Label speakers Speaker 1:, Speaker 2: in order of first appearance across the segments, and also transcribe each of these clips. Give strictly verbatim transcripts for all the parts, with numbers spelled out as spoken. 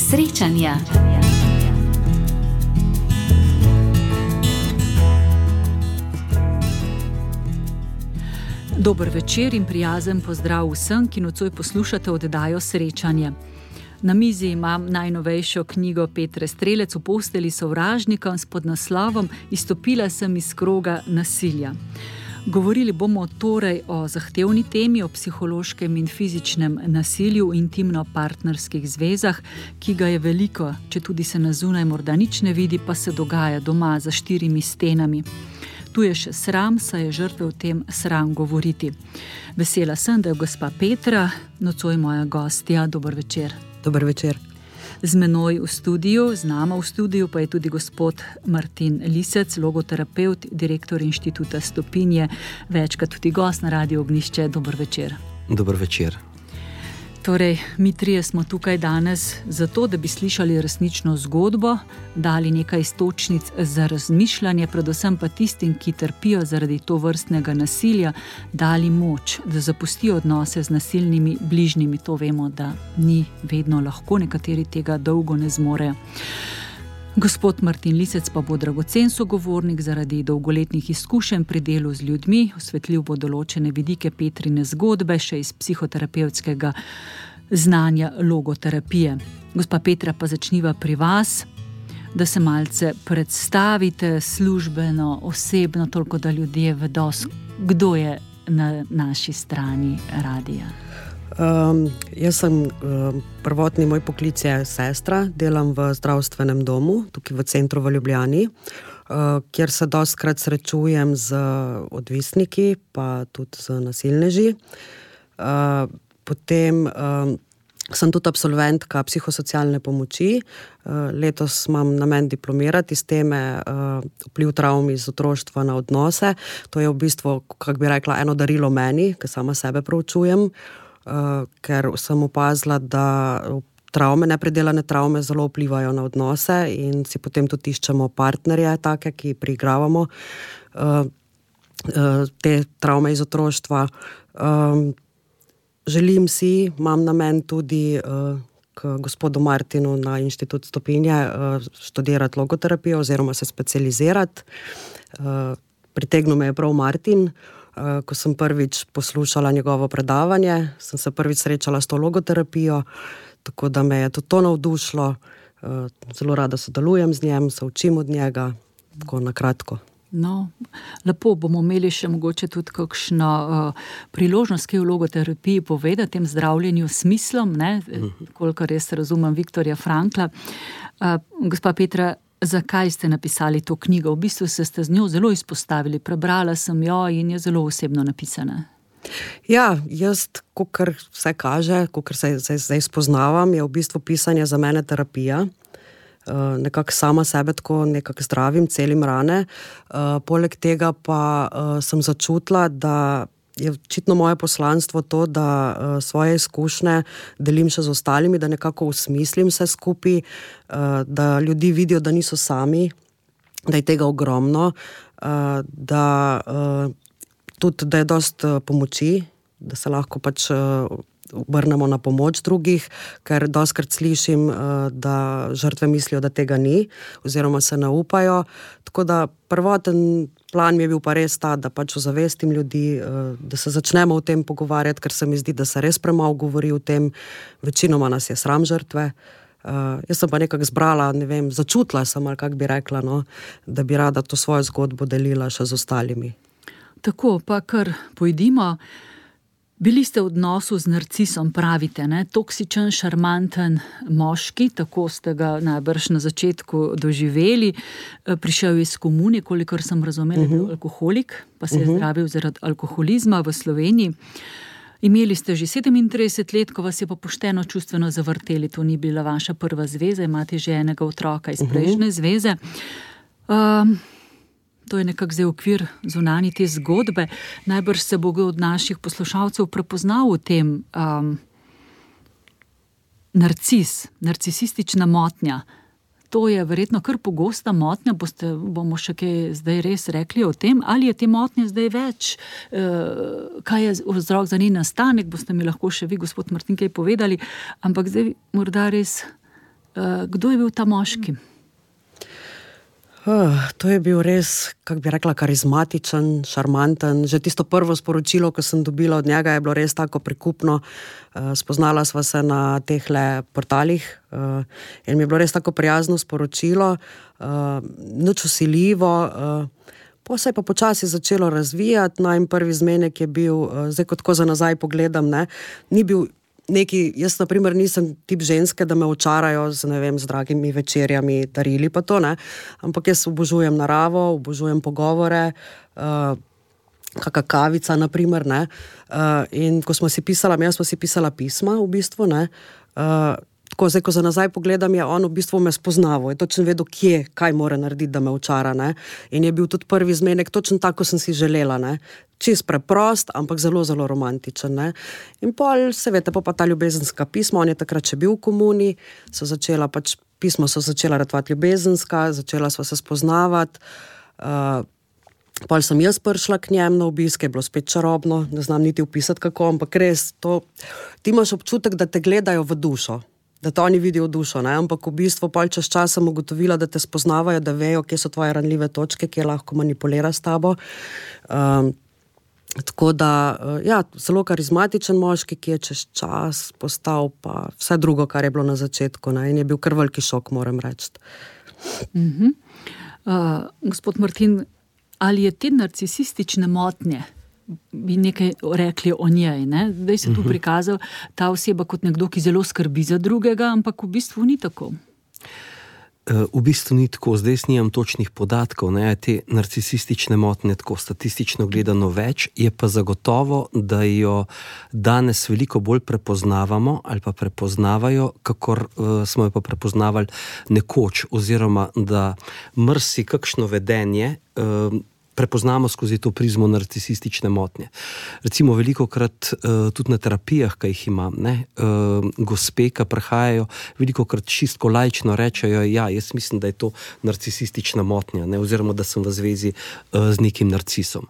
Speaker 1: Srečanja. Dober večer in prijazen pozdrav vsem, ki nocoj poslušate oddajo Srečanje. Na mizi imam najnovejšo knjigo Petre Strelec V posteli sovražnika s podnaslovom Izstopila sem iz kroga nasilja. Govorili bomo torej o zahtevni temi, o psihološkem in fizičnem nasilju v intimno-partnerskih zvezah, ki ga je veliko, če tudi se na zunaj morda nič ne vidi, pa se dogaja doma za štirimi stenami. Tu je še sram, saj je žrtve o tem sram govoriti. Vesela sem, da je gospa Petra, nocoj moja gostja. Dober večer.
Speaker 2: Dober večer.
Speaker 1: Z menoj v studiu, z nama v studiu pa je tudi gospod Martin Lisec, logoterapevt, direktor inštituta Stopinje, večkrat tudi gost na Radiu Ognjišče. Dober večer.
Speaker 2: Dober večer.
Speaker 1: Torej, mi trije smo tukaj danes zato, da bi slišali resnično zgodbo, dali nekaj iztočnic za razmišljanje, predvsem pa tistim, ki trpijo zaradi tovrstnega nasilja, dali moč, da zapustijo odnose z nasilnimi bližnjimi. To vemo, da ni vedno lahko, nekateri tega dolgo ne zmorejo. Gospod Martin Lisec pa bo dragocen sogovornik zaradi dolgoletnih izkušenj pri delu z ljudmi, osvetljiv bo določene vidike Petrine zgodbe, še iz psihoterapevtskega znanja logoterapije. Gospa Petra, pa začniva pri vas, da se malce predstavite službeno, osebno, toliko da ljudje vedo, kdo je na naši strani radija.
Speaker 2: Um, jaz sem, um, prvotni moj poklic je sestra, delam v zdravstvenem domu, tukaj v centru v Ljubljani, uh, kjer se dostikrat srečujem z odvisniki, pa tudi z nasilneži. Uh, potem um, sem tudi absolventka psihosocialne pomoči. Uh, letos imam namen diplomirati iz teme uh, vpliv travm iz otroštva na odnose. To je v bistvu, kako bi rekla, eno darilo meni, ki sama sebe proučujem. Uh, ker sem opazila, da travme, nepredelane travme zelo vplivajo na odnose in si potem tudi iščemo partnerje take, ki priigravamo uh, uh, te travme iz otroštva. Um, želim si, imam namen tudi uh, k gospodu Martinu na inštitut Stopinje uh, študirati logoterapijo oziroma se specializirati. Uh, pritegnil me je prav Martin. Ko sem prvič poslušala njegovo predavanje, sem se prvič srečala s to logoterapijo, tako da me je tudi to navdušilo. Zelo rada sodelujem z njim, se učim od njega, tako na kratko.
Speaker 1: No, lepo, bomo imeli še mogoče tudi kakšno uh, priložnost, ki je v logoterapiji povedati, tem zdravljenju s smislom, ne, kolikor res razumem Viktorja Frankla. Uh, gospa Petra, zakaj ste napisali to knjigo? V bistvu se ste z njo zelo izpostavili. Prebrala sem jo in je zelo osebno napisana.
Speaker 2: Ja, jaz, kakor vse kaže, kakor se zdaj spoznavam, je v bistvu pisanje za mene terapija. Uh, nekako sama sebe tako nekako zdravim, celim rane. Uh, poleg tega pa uh, sem začutila, da je očitno moje poslanstvo to, da uh, svoje izkušnje delim še z ostalimi, da nekako usmislim vse skupaj, uh, da ljudi vidijo, da niso sami, da je tega ogromno, uh, da uh, tudi, da je dost uh, pomoči, da se lahko pač uh, obrnemo na pomoč drugih, ker dostikrat slišim, uh, da žrtve mislijo, da tega ni, oziroma se ne upajo. Tako da prvoten plan mi je bil pa res ta, da pač ozavestim ljudi, da se začnemo o tem pogovarjati, ker se mi zdi, da se res premalo govori o tem. Večinoma nas je sram žrtve. Uh, jaz sem pa nekako zbrala, ne vem, začutila sem, ali kako bi rekla, no, da bi rada to svojo zgodbo delila še z ostalimi.
Speaker 1: Tako, pa kar pojdimo. Bili ste v odnosu z narcisom, pravite, ne? Toksičen, šarmanten moški, tako ste ga najbrž na začetku doživeli. Prišel je iz komune, kolikor sem razumela, je bil alkoholik, pa se je zdravil zaradi alkoholizma v Sloveniji. Imeli ste že sedemintrideset let, ko vas je pa pošteno čustveno zavrteli. To ni bila vaša prva zveza, imate že enega otroka iz prejšnje zveze. Um, To je nekak zdaj okvir zunanji te zgodbe. Najbrž se bo od naših poslušalcev prepoznal v tem um, narcis, narcisistična motnja. To je verjetno kar pogosta motnja, boste, bomo še kaj zdaj res rekli o tem, ali je te motnje zdaj več, e, kaj je vzrok za njen nastanek, boste mi lahko še vi, gospod Martin, kaj povedali, ampak zdaj morda res Kdo je bil ta moški?
Speaker 2: Uh, to je bil res, kako bi rekla, karizmatičen, šarmanten. Že tisto prvo sporočilo, ko sem dobila od njega, je bilo res tako prikupno. Uh, spoznala sva se na tehle portalih uh, in mi je bilo res tako prijazno sporočilo, uh, nič vsiljivo. Uh, po se je pa počasi začelo razvijati. Najm prvi zmenek je bil, uh, zdaj kot ko za nazaj pogledam, ne, ni bil neki, jaz na primer nisem tip ženske, da me očarajo z, ne vem, z dragimi večerjami, darili pa to, ne, ampak jaz obožujem naravo, obožujem pogovore, uh, kaka kavica, na primer, ne, uh, in ko smo si pisala, jaz smo si pisala pisma, v bistvu, ne, uh, tako zdaj, ko za nazaj pogledam, je on v bistvu me spoznaval, je točno vedel, kje, kaj mora narediti, da me očara, ne, in je bil tudi prvi zmenek točno tako, sem si želela, ne, čist preprost, ampak zelo, zelo romantičen, ne. In pol, se veste, pa ta ljubezenska pisma, on je takrat še bil v komuni, so začela pač, pisma so začela ratovati ljubezenska, začela sva se spoznavati, uh, pol sem jaz prišla k njem na obisk, je bilo spet čarobno, ne znam niti opisati kako, ampak res, to, ti imaš občutek, da te gledajo v dušo, da te oni vidijo v dušo, ne, ampak v bistvu pol čez čas sem ugotovila, da te spoznavajo, da vejo, kje so tvoje ranljive točke, kje lahko manipulira s tabo. Um, Tako da, ja, zelo karizmatičen moški, ki je čez čas postal pa vse drugo, kar je bilo na začetku, ne, in je bil kar veliki šok, moram reči.
Speaker 1: Uh-huh. Uh, gospod Martin, ali je te narcisistične motnje, bi nekaj rekli o njej, ne? Zdaj se tu uh-huh. prikazal ta oseba kot nekdo, ki zelo skrbi za drugega, ampak v bistvu ni tako.
Speaker 3: V bistvu ni tako, zdaj snimam točnih podatkov, ne, te narcisistične motnje tako statistično gledano več, je pa zagotovo, da jo danes veliko bolj prepoznavamo ali pa prepoznavajo, kakor uh, smo jo pa prepoznavali nekoč, oziroma da mrsi kakšno vedenje uh, prepoznamo skozi to prizmo narcisistične motnje. Recimo velikokrat uh, tudi na terapijah, ki jih imam, ne, uh, gospe, ki prihajajo, velikokrat čistko laično rečejo, ja, jaz mislim, da je to narcisistična motnja, ne, oziroma da sem v zvezi uh, z nekim narcisom.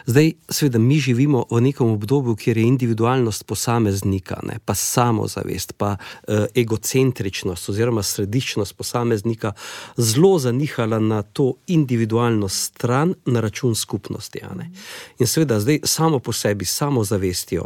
Speaker 3: Zdaj, seveda, mi živimo v nekem obdobju, kjer je individualnost posameznika, ne, pa samozavest, pa uh, egocentričnost oziroma središčnost posameznika zelo zanihala na to individualno stran, na račun skupnosti. Ja, ne. In seveda zdaj samo po sebi, samozavestjo,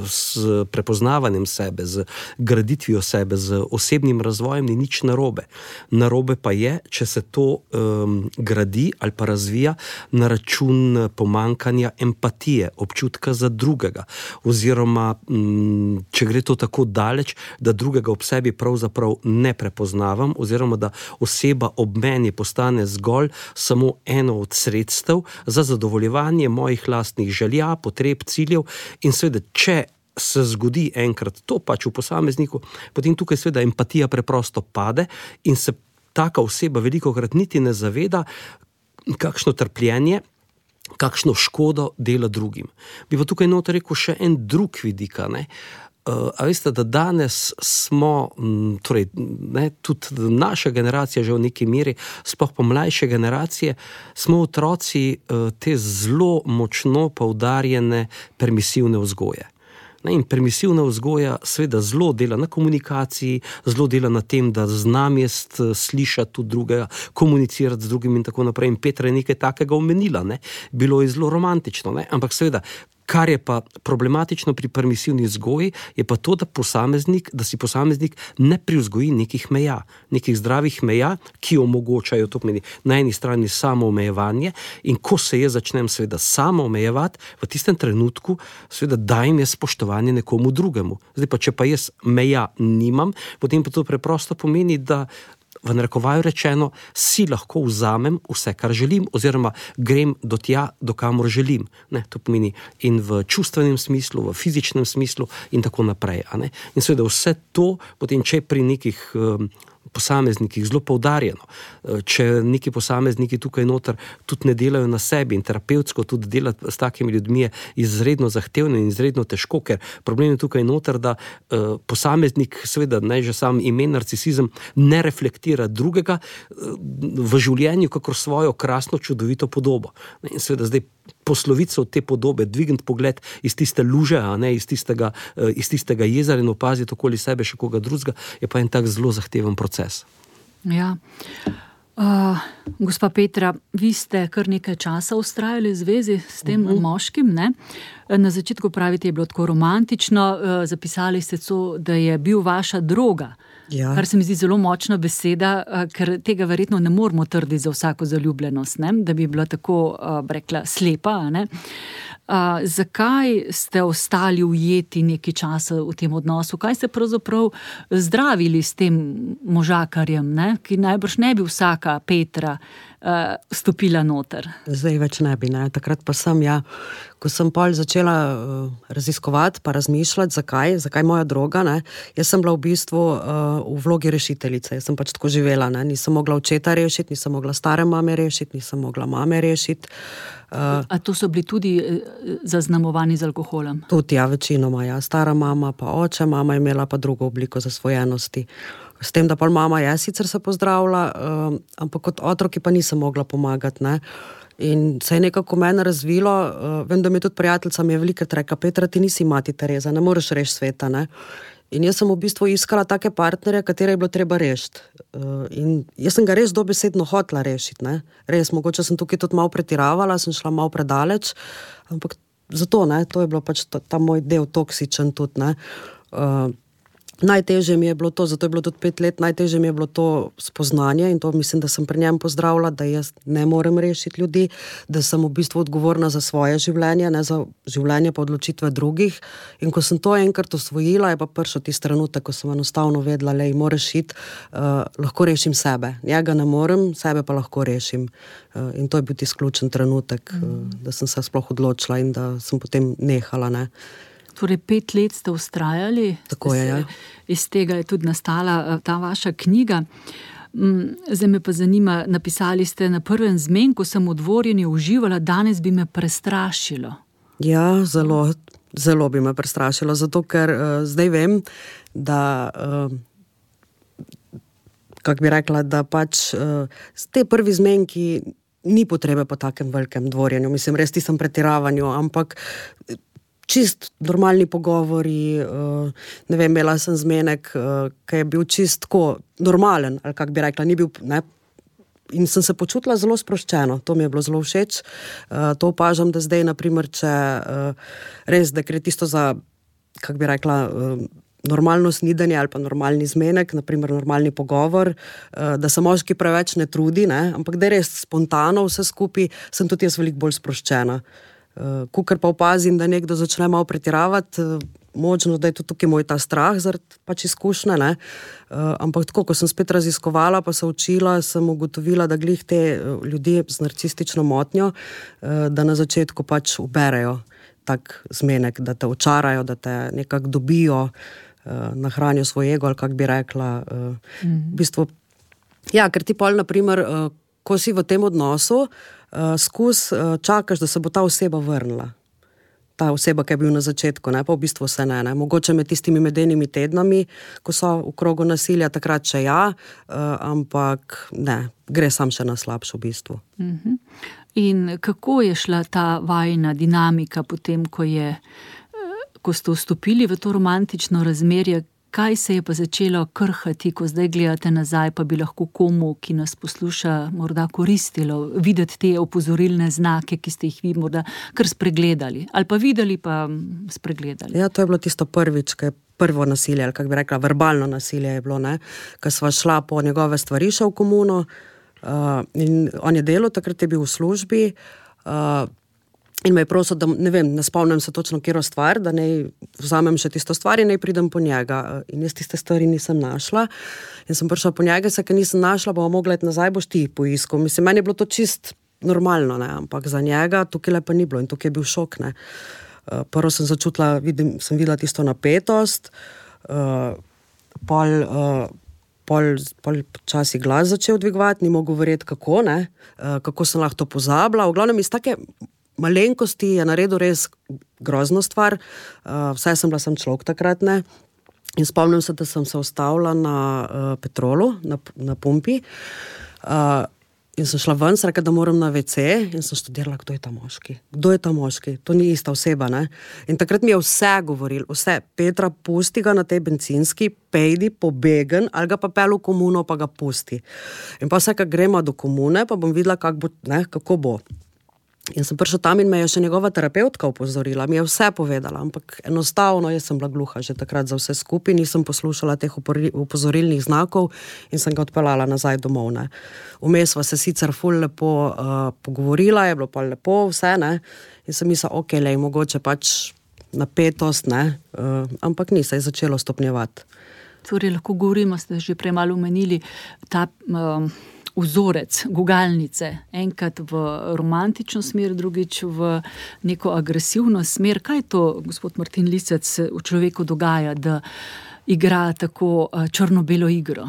Speaker 3: s prepoznavanjem sebe, z graditvijo sebe, z osebnim razvojem ni nič narobe. Narobe pa je, če se to um, gradi ali pa razvija na račun pomankanja empatije, občutka za drugega, oziroma um, če gre to tako daleč, da drugega ob sebi pravzaprav ne prepoznavam, oziroma da oseba ob meni postane zgolj samo eno od sredstev za zadovoljevanje mojih lastnih želja, potreb, ciljev, in seveda, če se zgodi enkrat to pač v posamezniku, potem tukaj seveda empatija preprosto pade in se taka oseba velikokrat niti ne zaveda, kakšno trpljenje, kakšno škodo dela drugim. Bi pa tukaj noter rekel še en drug vidik, ne. Uh, a veste, da danes smo, m, torej, ne, tudi naša generacija že v neki meri, sploh pa mlajše generacije, smo otroci uh, te zelo močno poudarjene permisivne vzgoje. Ne, in permisivna vzgoja seveda zelo dela na komunikaciji, zelo dela na tem, da znam jaz slišati tudi drugega, komunicirati z drugim in tako naprej. In Petra je nekaj takega omenila, ne. Bilo je zelo romantično, ne, ampak seveda, kar je pa problematično pri permisivni vzgoji, je pa to, da posameznik, da si posameznik ne privzgoji nekih meja, nekih zdravih meja, ki omogočajo, to pomeni na eni strani samo omejevanje, in ko se jaz začnem seveda samo omejevati, v tistem trenutku seveda dajem jaz spoštovanje nekomu drugemu. Zdaj pa, če pa jaz meja nimam, potem pa to preprosto pomeni, da v narekovaju rečeno, si lahko vzamem vse, kar želim, oziroma grem do tja, do kamor želim. Ne, to pomeni in v čustvenem smislu, v fizičnem smislu in tako naprej. A ne. In seveda vse to, potem če pri nekih um, posameznikih zelo poudarjeno, če neki posamezniki tukaj noter tudi ne delajo na sebi in terapevtsko tudi delati s takimi ljudmi je izredno zahtevno in izredno težko, ker problem je tukaj noter, da uh, posameznik, seveda naj že sam ime narcisizem, ne reflektira drugega uh, v življenju kakor svojo krasno, čudovito podobo. In seveda zdaj posloviti se od te podobe, dvigniti pogled iz tiste luže, a ne, iz tistega, iz tistega jezera in opaziti okoli sebe še koga drugega, je pa en tak zelo zahteven proces.
Speaker 1: Ja. Uh, gospa Petra, vi ste kar nekaj časa vztrajali v zvezi s tem uh-huh. moškim, ne? Na začetku pravite, je bilo tako romantično, uh, zapisali ste to, da je bil vaša droga. Ja. Kar se mi zdi zelo močna beseda, uh, ker tega verjetno ne moramo trditi za vsako zaljubljenost, ne? Da bi bila tako, uh, rekla, slepa, ne? Uh, zakaj ste ostali ujeti nekaj časa v tem odnosu? Kaj ste pravzaprav zdravili s tem možakarjem, ne? Ki najbrž ne bi vsaka Petra uh, stopila noter?
Speaker 2: Zdaj več ne bi, ne. Takrat pa sem, ja, ko sem pol začela uh, raziskovati, pa razmišljati, zakaj, zakaj moja droga, ne. Jaz sem bila v bistvu uh, v vlogi rešiteljice, jaz sem pač tako živela, ne. Nisem mogla očeta rešiti, nisem mogla stare mame rešiti, nisem mogla mame rešiti.
Speaker 1: Uh, A to so bili tudi zaznamovani z alkoholem?
Speaker 2: Tudi, ja, večinoma, ja. Stara mama pa oče, mama je imela pa drugo obliko zasvojenosti. S tem, da pa mama je sicer se pozdravila, uh, ampak kot otroki pa nisem mogla pomagati, ne. In se je nekako mene razvilo, uh, vem, da mi je tudi prijateljica mi je velikrat rekla, Petra, ti nisi mati Tereza, ne moreš rešiti sveta, ne. In jaz sem v bistvu iskala take partnerje, katere je bilo treba rešiti. Uh, in jaz sem ga res dobesedno hotela rešiti, ne. Res, mogoče sem tukaj tudi malo pretiravala, sem šla malo predaleč, ampak zato, ne, to je bilo pač ta, ta moj del toksičen tudi, ne. Uh, Najtežje mi je bilo to, zato je bilo tudi pet let, najtežje mi je bilo to spoznanje in to mislim, da sem pri njem pozdravila, da jaz ne morem rešiti ljudi, da sem v bistvu odgovorna za svoje življenje, ne za življenje pa odločitve drugih. In ko sem to enkrat osvojila, je pa prišel tisti trenutek, ko sem enostavno vedela, lej, moraš iti, uh, lahko rešim sebe. Njega ne morem, sebe pa lahko rešim. Uh, in to je bil tisti ključen trenutek, mm. uh, da sem se sploh odločila in da sem potem nehala, ne.
Speaker 1: Torej, pet let ste vztrajali.
Speaker 2: Tako je, ja.
Speaker 1: Iz tega je tudi nastala ta vaša knjiga. Zdaj me pa zanima, napisali ste na prvem zmenku, sem v dvorjenju uživala, danes bi me prestrašilo.
Speaker 2: Ja, zelo, zelo bi me prestrašilo, zato ker uh, zdaj vem, da, uh, kak bi rekla, da pač uh, te prvi zmenki ni potrebe po takem velikem dvorjenju. Mislim, res tisem pretiravanju, ampak čist normalni pogovori, ne vem, imela sem zmenek, ki je bil čist tako normalen, ali kak bi rekla, ni bil, ne, in sem se počutila zelo sproščeno, to mi je bilo zelo všeč. To opažam, da zdaj, naprimer, če res, da gre tisto za, kak bi rekla, normalno snidenje ali pa normalni zmenek, naprimer normalni pogovor, da se moški preveč ne trudi, ne, ampak da je res spontano vse skupaj, sem tudi jaz veliko bolj sproščena. Uh, kukor pa opazim, da nekdo začne malo pretiravati, uh, možno, da je to tukaj moj ta strah zaradi pač izkušnje, ne. Uh, ampak tako, ko sem spet raziskovala, pa se učila, sem ugotovila, da glih te uh, ljudje z narcistično motnjo, uh, da na začetku pač uberejo tak zmenek, da te očarajo, da te nekako dobijo, uh, nahranijo svoj ego, ali kak bi rekla. Uh, mm. V bistvu, ja, ker ti pol, naprimer, uh, ko si v tem odnosu, Uh, skus uh, čakaš, da se bo ta oseba vrnila. Ta oseba, ki je bil na začetku, ne, pa v bistvu se ne, ne. Mogoče med tistimi medenimi tednami, ko so v krogu nasilja, takrat še ja, uh, ampak ne, gre sam še na slabšo v bistvu.
Speaker 1: Uh-huh. In kako je šla ta vajina dinamika potem, ko je, ko ste vstopili v to romantično razmerje? Kaj se je pa začelo krhati, ko zdaj gledate nazaj, pa bi lahko komu, ki nas posluša, morda koristilo videti te opozorilne znake, ki ste jih vi morda kar spregledali? Ali pa videli, pa spregledali?
Speaker 2: Ja, to je bilo tisto prvič, ki je prvo nasilje, ali kak bi rekla, verbalno nasilje je bilo, ne, ko sva šla po njegove stvari še v komuno, uh, in on je delal, takrat je bil v službi, uh, in me je prosil, da, ne vem, ne spomnim se točno kjero stvar, da naj vzamem še tisto stvar in naj pridem po njega. In jaz tiste stvari nisem našla. In sem prišla po njega, se, ker nisem našla, bomo mogla iti nazaj, boš ti poiskal. Mislim, meni je bilo to čist normalno, ne, ampak za njega tukaj pa ni bilo in tukaj je bil šok, ne. Prvo sem začutila, vidim, sem videla tisto napetost, uh, pol, uh, pol, pol časi glas začel dvigovati, ni mogel verjeti kako, ne, uh, kako sem lahko to pozabila. V glavnem iz take malenkosti je naredil res grozno stvar, uh, vsaj sem bila sem človek takrat, ne, in spomnim se, da sem se ustavila na uh, petrolu, na, na pumpi, uh, In sem šla ven, sem rekla, da moram na ve ce in sem študirala, kdo je ta moški. Kdo je ta moški? To ni ista oseba, ne? In takrat mi je vse govoril, vse. Petra, pusti ga na tej bencinski, pejdi, pobegen, ali ga pa pel v komuno, pa ga pusti. In pa vse, kak gremo do komune, pa bom videla, kak bo, ne, kako bo. In sem prišla tam in me je še njegova terapeutka upozorila, mi je vse povedala, ampak enostavno jaz sem bila gluha že takrat za vse skupaj, nisem poslušala teh upozorilnih znakov in sem ga odpeljala nazaj domov, ne. Vmes sva se sicer ful lepo uh, pogovorila, je bilo pa lepo vse, ne, in sem mislila, ok, lej, mogoče pač napetost, ne, uh, ampak ni, se je začelo stopnjevati.
Speaker 1: Torej, lahko govorimo, ste že prej malo omenili, ta um, vzorec, gugalnice, enkrat v romantično smer, drugič v neko agresivno smer. Kaj to, gospod Martin Lisec, v človeku dogaja, da igra tako črno-belo igro?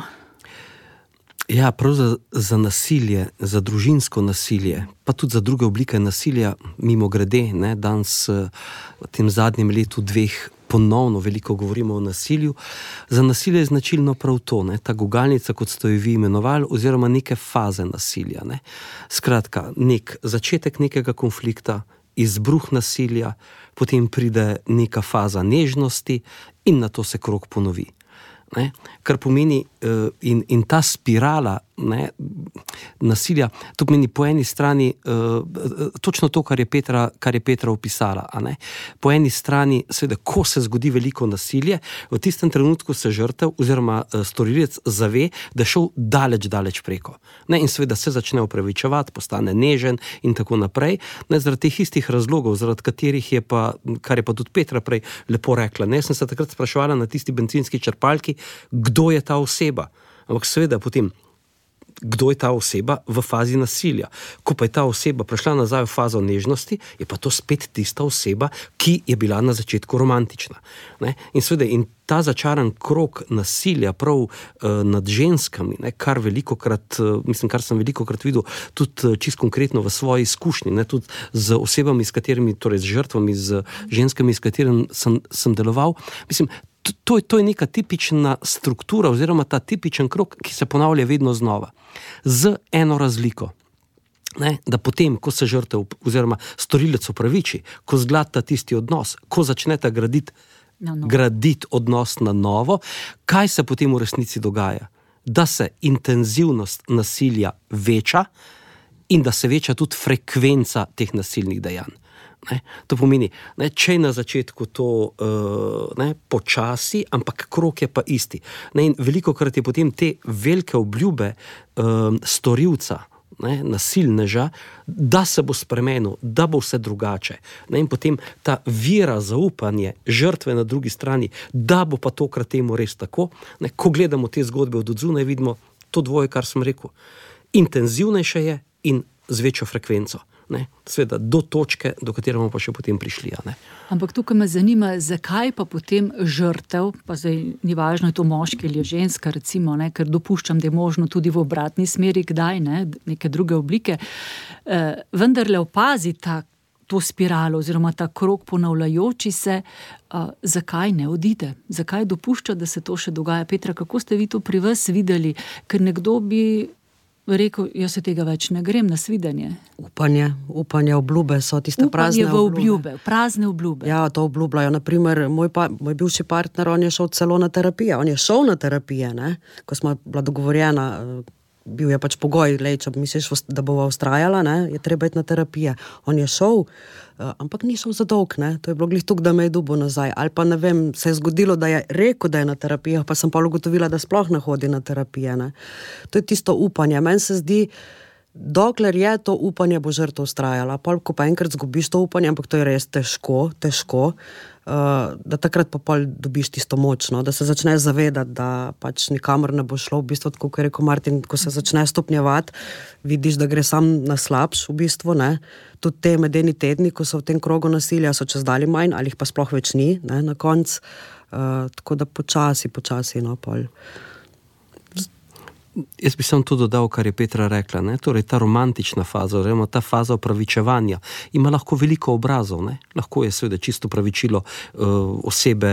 Speaker 3: Ja, prav za, za nasilje, za družinsko nasilje, pa tudi za druge oblike nasilja, mimo grede, ne, danes v tem zadnjem letu dveh ponovno veliko govorimo o nasilju. Za nasilje je značilno prav to, ne, ta gugalnica, kot ste jo vi imenovali, oziroma neke faze nasilja, ne. Skratka, nek začetek nekega konflikta, izbruh nasilja, potem pride neka faza nežnosti in nato se krog ponovi. Ne, kar pomeni uh, in, in ta spirala, ne, nasilja, to pomeni po eni strani uh, točno to, kar je Petra, kar je Petra opisala, a ne. Po eni strani, seveda, ko se zgodi veliko nasilje, v tistem trenutku se žrtev oziroma uh, storilec zave, da je šel daleč, daleč preko. Ne, in seveda se začne opravičevati, postane nežen in tako naprej. Ne, zaradi teh istih razlogov, zaradi katerih je pa, kar je pa tudi Petra prej lepo rekla, ne, sem se takrat spraševala na tisti bencinski črpalki, kdo je ta oseba. Ampak seveda potem, kdo je ta oseba v fazi nasilja. Ko pa je ta oseba prišla nazaj v fazo nežnosti, je pa to spet tista oseba, ki je bila na začetku romantična. Ne? In seveda, in ta začaran krog nasilja prav uh, nad ženskami, ne, kar velikokrat, uh, mislim, kar sem velikokrat videl, tudi uh, čisto konkretno v svoji izkušnji, ne, tudi z osebami, s katerimi, torej z žrtvami, z ženskami, s katerimi sem, sem deloval, mislim, To, to je neka tipična struktura oziroma ta tipičen krog, ki se ponavlja vedno znova. Z eno razliko. Ne, da potem, ko se žrtev oziroma storilec opraviči, ko zglata tisti odnos, ko začneta graditi no, no. graditi odnos na novo, kaj se potem v resnici dogaja? Da se intenzivnost nasilja veča in da se veča tudi frekvenca teh nasilnih dejanj. Ne, to pomeni, ne, če je na začetku to uh, ne, počasi, ampak krog je pa isti. Ne, in velikokrat je potem te velike obljube uh, storilca, ne, nasilneža, da se bo spremenil, da bo vse drugače. Ne, in potem ta vera, zaupanje žrtve na drugi strani, da bo pa tokrat temu res tako. Ne, ko gledamo te zgodbe od odzunaj, vidimo to dvoje, kar sem rekel. Intenzivnejše je in z večjo frekvenco. Ne, sveda, do točke, do katere bomo pa še potem prišli. Ne.
Speaker 1: Ampak tukaj me zanima, zakaj pa potem žrtev, pa zdaj ni važno, je to moški ali je ženska, recimo, ne, ker dopuščam, da je možno tudi v obratni smeri, kdaj, ne, neke druge oblike, eh, vendarle opazi ta, to spiralo oziroma ta krog ponavljajoči se, eh, zakaj ne odide, zakaj dopušča, da se to še dogaja. Petra, kako ste vi to pri vas videli, ker nekdo bi rekel, jaz se tega več ne grem na svidenje.
Speaker 2: Upanje, upanje, obljube so tiste
Speaker 1: upanje
Speaker 2: prazne
Speaker 1: v obljube. Prazne obljube.
Speaker 2: Ja, to obljubljajo. Naprimer, moj, pa, moj bivši partner, on je šel celo na terapije. On je šel na terapije, ne? Ko smo bila dogovorjena, bil je pač pogoj, lej, če misliš, da bova ustrajala, ne? Je treba iti na terapije. On je šel, ampak ni šel za dolg, ne? To je bilo glih tuk, da me je dubo nazaj. Ali pa ne vem, se je zgodilo, da je rekel, da je na terapijah, pa sem pa ugotovila, da sploh ne hodi na terapije, ne? To je tisto upanje. Meni se zdi, dokler je to upanje, bo žrtev ustrajala. Pol, ko pa enkrat zgubiš to upanje, ampak to je res težko, težko, uh, da takrat pa pol dobiš tisto močno, da se začneš zavedati, da pač nikamor ne bo šlo, v bistvu, tako kot je rekel Martin, ko se začne stopnjevati, vidiš, da gre sam na slabš, v bistvu, ne. Tudi te medeni tedni, ko so v tem krogu nasilja, so čez dali manj, ali jih pa sploh več ni, ne, na konc. Uh, tako da počasi, počasi, no, pol.
Speaker 3: Jaz bi samo to dodal, kar je Petra rekla, ne? Torej ta romantična faza, oziroma ta faza opravičevanja ima lahko veliko obrazov, ne? Lahko je seveda čisto opravičilo uh, osebe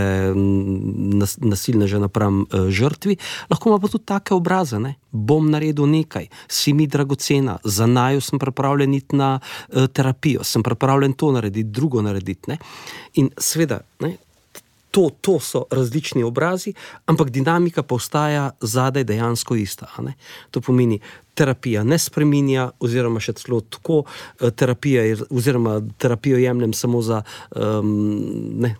Speaker 3: nas, nasilneža napram uh, žrtvi, lahko ima pa tudi take obraze, ne? Bom naredil nekaj, si mi dragocena, za naju sem pripravljen iti na uh, terapijo, sem pripravljen to narediti, drugo narediti, ne? In seveda, ne? To, to so različni obrazi, ampak dinamika pa ostaja zadaj dejansko ista. Ne? To pomeni, terapija ne spreminja, oziroma še celo tako, terapija je, oziroma terapijo jemljem samo za um, ne,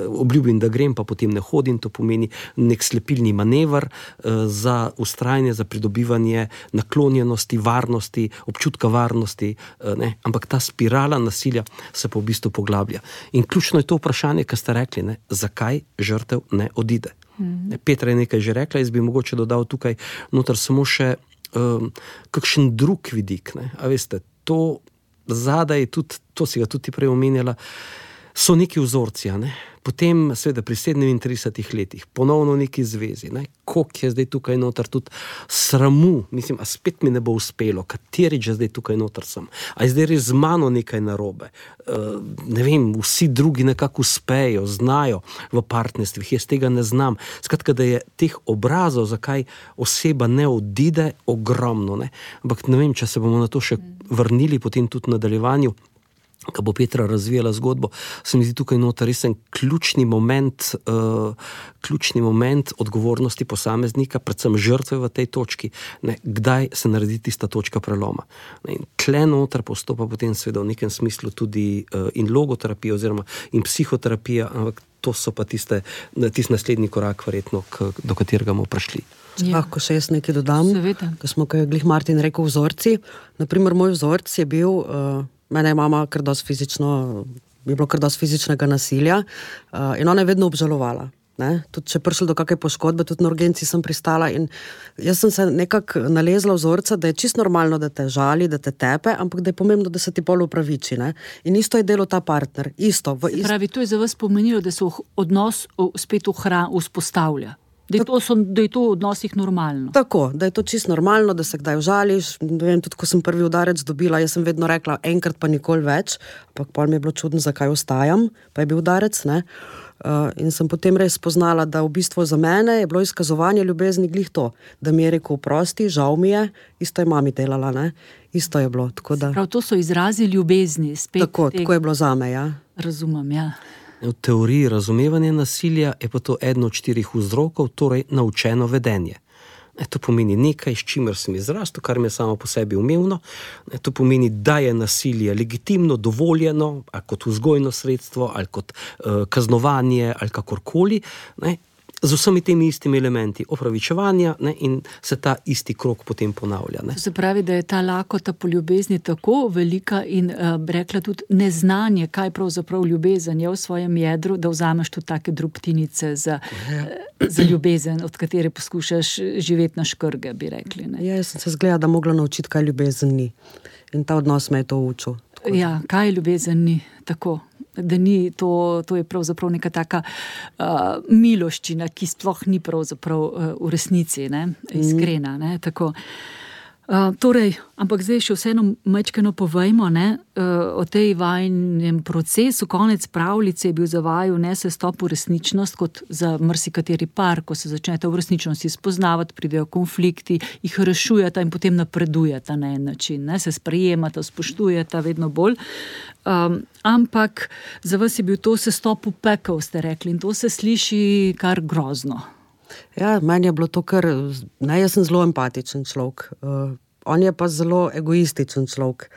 Speaker 3: obljubim, da grem, pa potem ne hodim, to pomeni nek slepilni manever uh, za ustrajanje, za pridobivanje naklonjenosti, varnosti, občutka varnosti, uh, ne? Ampak ta spirala nasilja se pa v bistvu poglablja. In ključno je to vprašanje, kar ste rekli, ne? Zakaj žrtev ne odide. Mm. Petra je nekaj že rekla, jaz bi mogoče dodal tukaj noter samo še Um, kakšen drug vidik, ne? A veste, to zadaj, tudi, to si ga tudi prej omenjala, so neki vzorci, ne? Potem seveda pri sedemintridesetih letih ponovno neki zvezi, ne? Koliko je zdaj tukaj noter tudi sramu, mislim, a spet mi ne bo uspelo, katerič je zdaj tukaj noter sem, a je zdaj res z mano nekaj narobe, uh, ne vem, vsi drugi nekako uspejo, znajo v partnerstvih, jaz tega ne znam, skratka, da je teh obrazov, zakaj oseba ne odide, ogromno, ne? Ampak ne vem, če se bomo na to še vrnili potem tudi v nadaljevanju, ko bo Petra razvijala zgodbo, se mi zdi tukaj noter res en ključni moment, uh, ključni moment odgovornosti posameznika, predvsem žrtve v tej točki, ne, kdaj se naredi tista točka preloma. Ne, in tle noter postopa potem seveda v nekem smislu tudi uh, in logoterapija oziroma in psihoterapija, ampak to so pa tiste, tist naslednji korak verjetno, k, do katerega bomo prišli.
Speaker 2: Ja. Lahko še jaz nekaj dodam, ko smo, ko je glih Martin rekel vzorci. Naprimer, moj vzorc je bil... Uh, Mene je mama kar dosti fizično, je bilo kar dosti fizičnega nasilja uh, in ona je vedno obžalovala. Ne? Tudi če je prišlo do kakšne poškodbe, tudi na urgenci sem pristala in jaz sem se nekako nalezla vzorca, da je čisto normalno, da te žali, da te tepe, ampak da je pomembno, da se ti pol upraviči. Ne? In isto je delo ta partner. Isto, v ist...
Speaker 1: Pravi, to je za vas pomenilo, da se odnos spet ohra, vzpostavlja. Da je, to, so, da je to v odnosih normalno.
Speaker 2: Tako, da je to čisto normalno, da se kdaj užališ. Ne vem, tudi ko sem prvi udarec dobila, jaz sem vedno rekla enkrat pa nikoli več, ampak pol mi je bilo čudno, zakaj ostajam, pa je bil udarec, ne. Uh, in sem potem res spoznala, da v bistvu za mene je bilo izkazovanje ljubezni glih to, da mi je rekel oprosti, žal mi je, isto je mami delala, ne. Isto je bilo, tako da...
Speaker 1: Prav, to so izrazi ljubezni. Spet
Speaker 2: tako,
Speaker 1: tega...
Speaker 2: tako je bilo zame, ja.
Speaker 1: Razumem, ja.
Speaker 3: V teoriji razumevanja nasilja je pa to eden od štirih vzrokov, torej naučeno vedenje. E, to pomeni nekaj, s čimer sem izrastel, kar mi je samo po sebi umevno. E, to pomeni, da je nasilje legitimno, dovoljeno, ali kot vzgojno sredstvo, ali kot uh, kaznovanje, ali kakorkoli, ne, z vsemi temi istimi elementi opravičevanja, ne, in se ta isti krog potem ponavlja. Ne.
Speaker 1: To se pravi, da je ta lakota po ljubezni tako velika in uh, rekla tudi neznanje, kaj pravzaprav ljubezen je v svojem jedru, da vzameš tudi take drobtinice za, uh, za ljubezen, od katere poskušaš živeti na škrge, bi rekli. Ne.
Speaker 2: Ja, jaz sem se zgleda, da mogla naučiti, kaj ljubezen ni. In ta odnos me je to učil.
Speaker 1: Ja, kaj ljubezen ni, tako. Da ni, to, to je pravzaprav neka taka uh, miloščina, ki sploh ni pravzaprav uh, v resnici, ne, iskrena, ne, tako. Uh, torej, ampak zdaj še vseeno majčkeno povejmo, ne, uh, o tej vajnem procesu. Konec pravljice je bil za vaju ne sestop v resničnost, kot za marsikateri par, ko se začnete v resničnosti spoznavati, pridejo konflikti, jih rešujeta in potem napredujeta na en način, ne, se sprejemata, spoštujeta vedno bolj. Um, ampak za vas je bil to sestop v pekel, ste rekli, in to se sliši kar grozno.
Speaker 2: Ja, meni je bilo to kar, ne, jaz sem zelo empatičen človek, uh, on je pa zelo egoističen človek.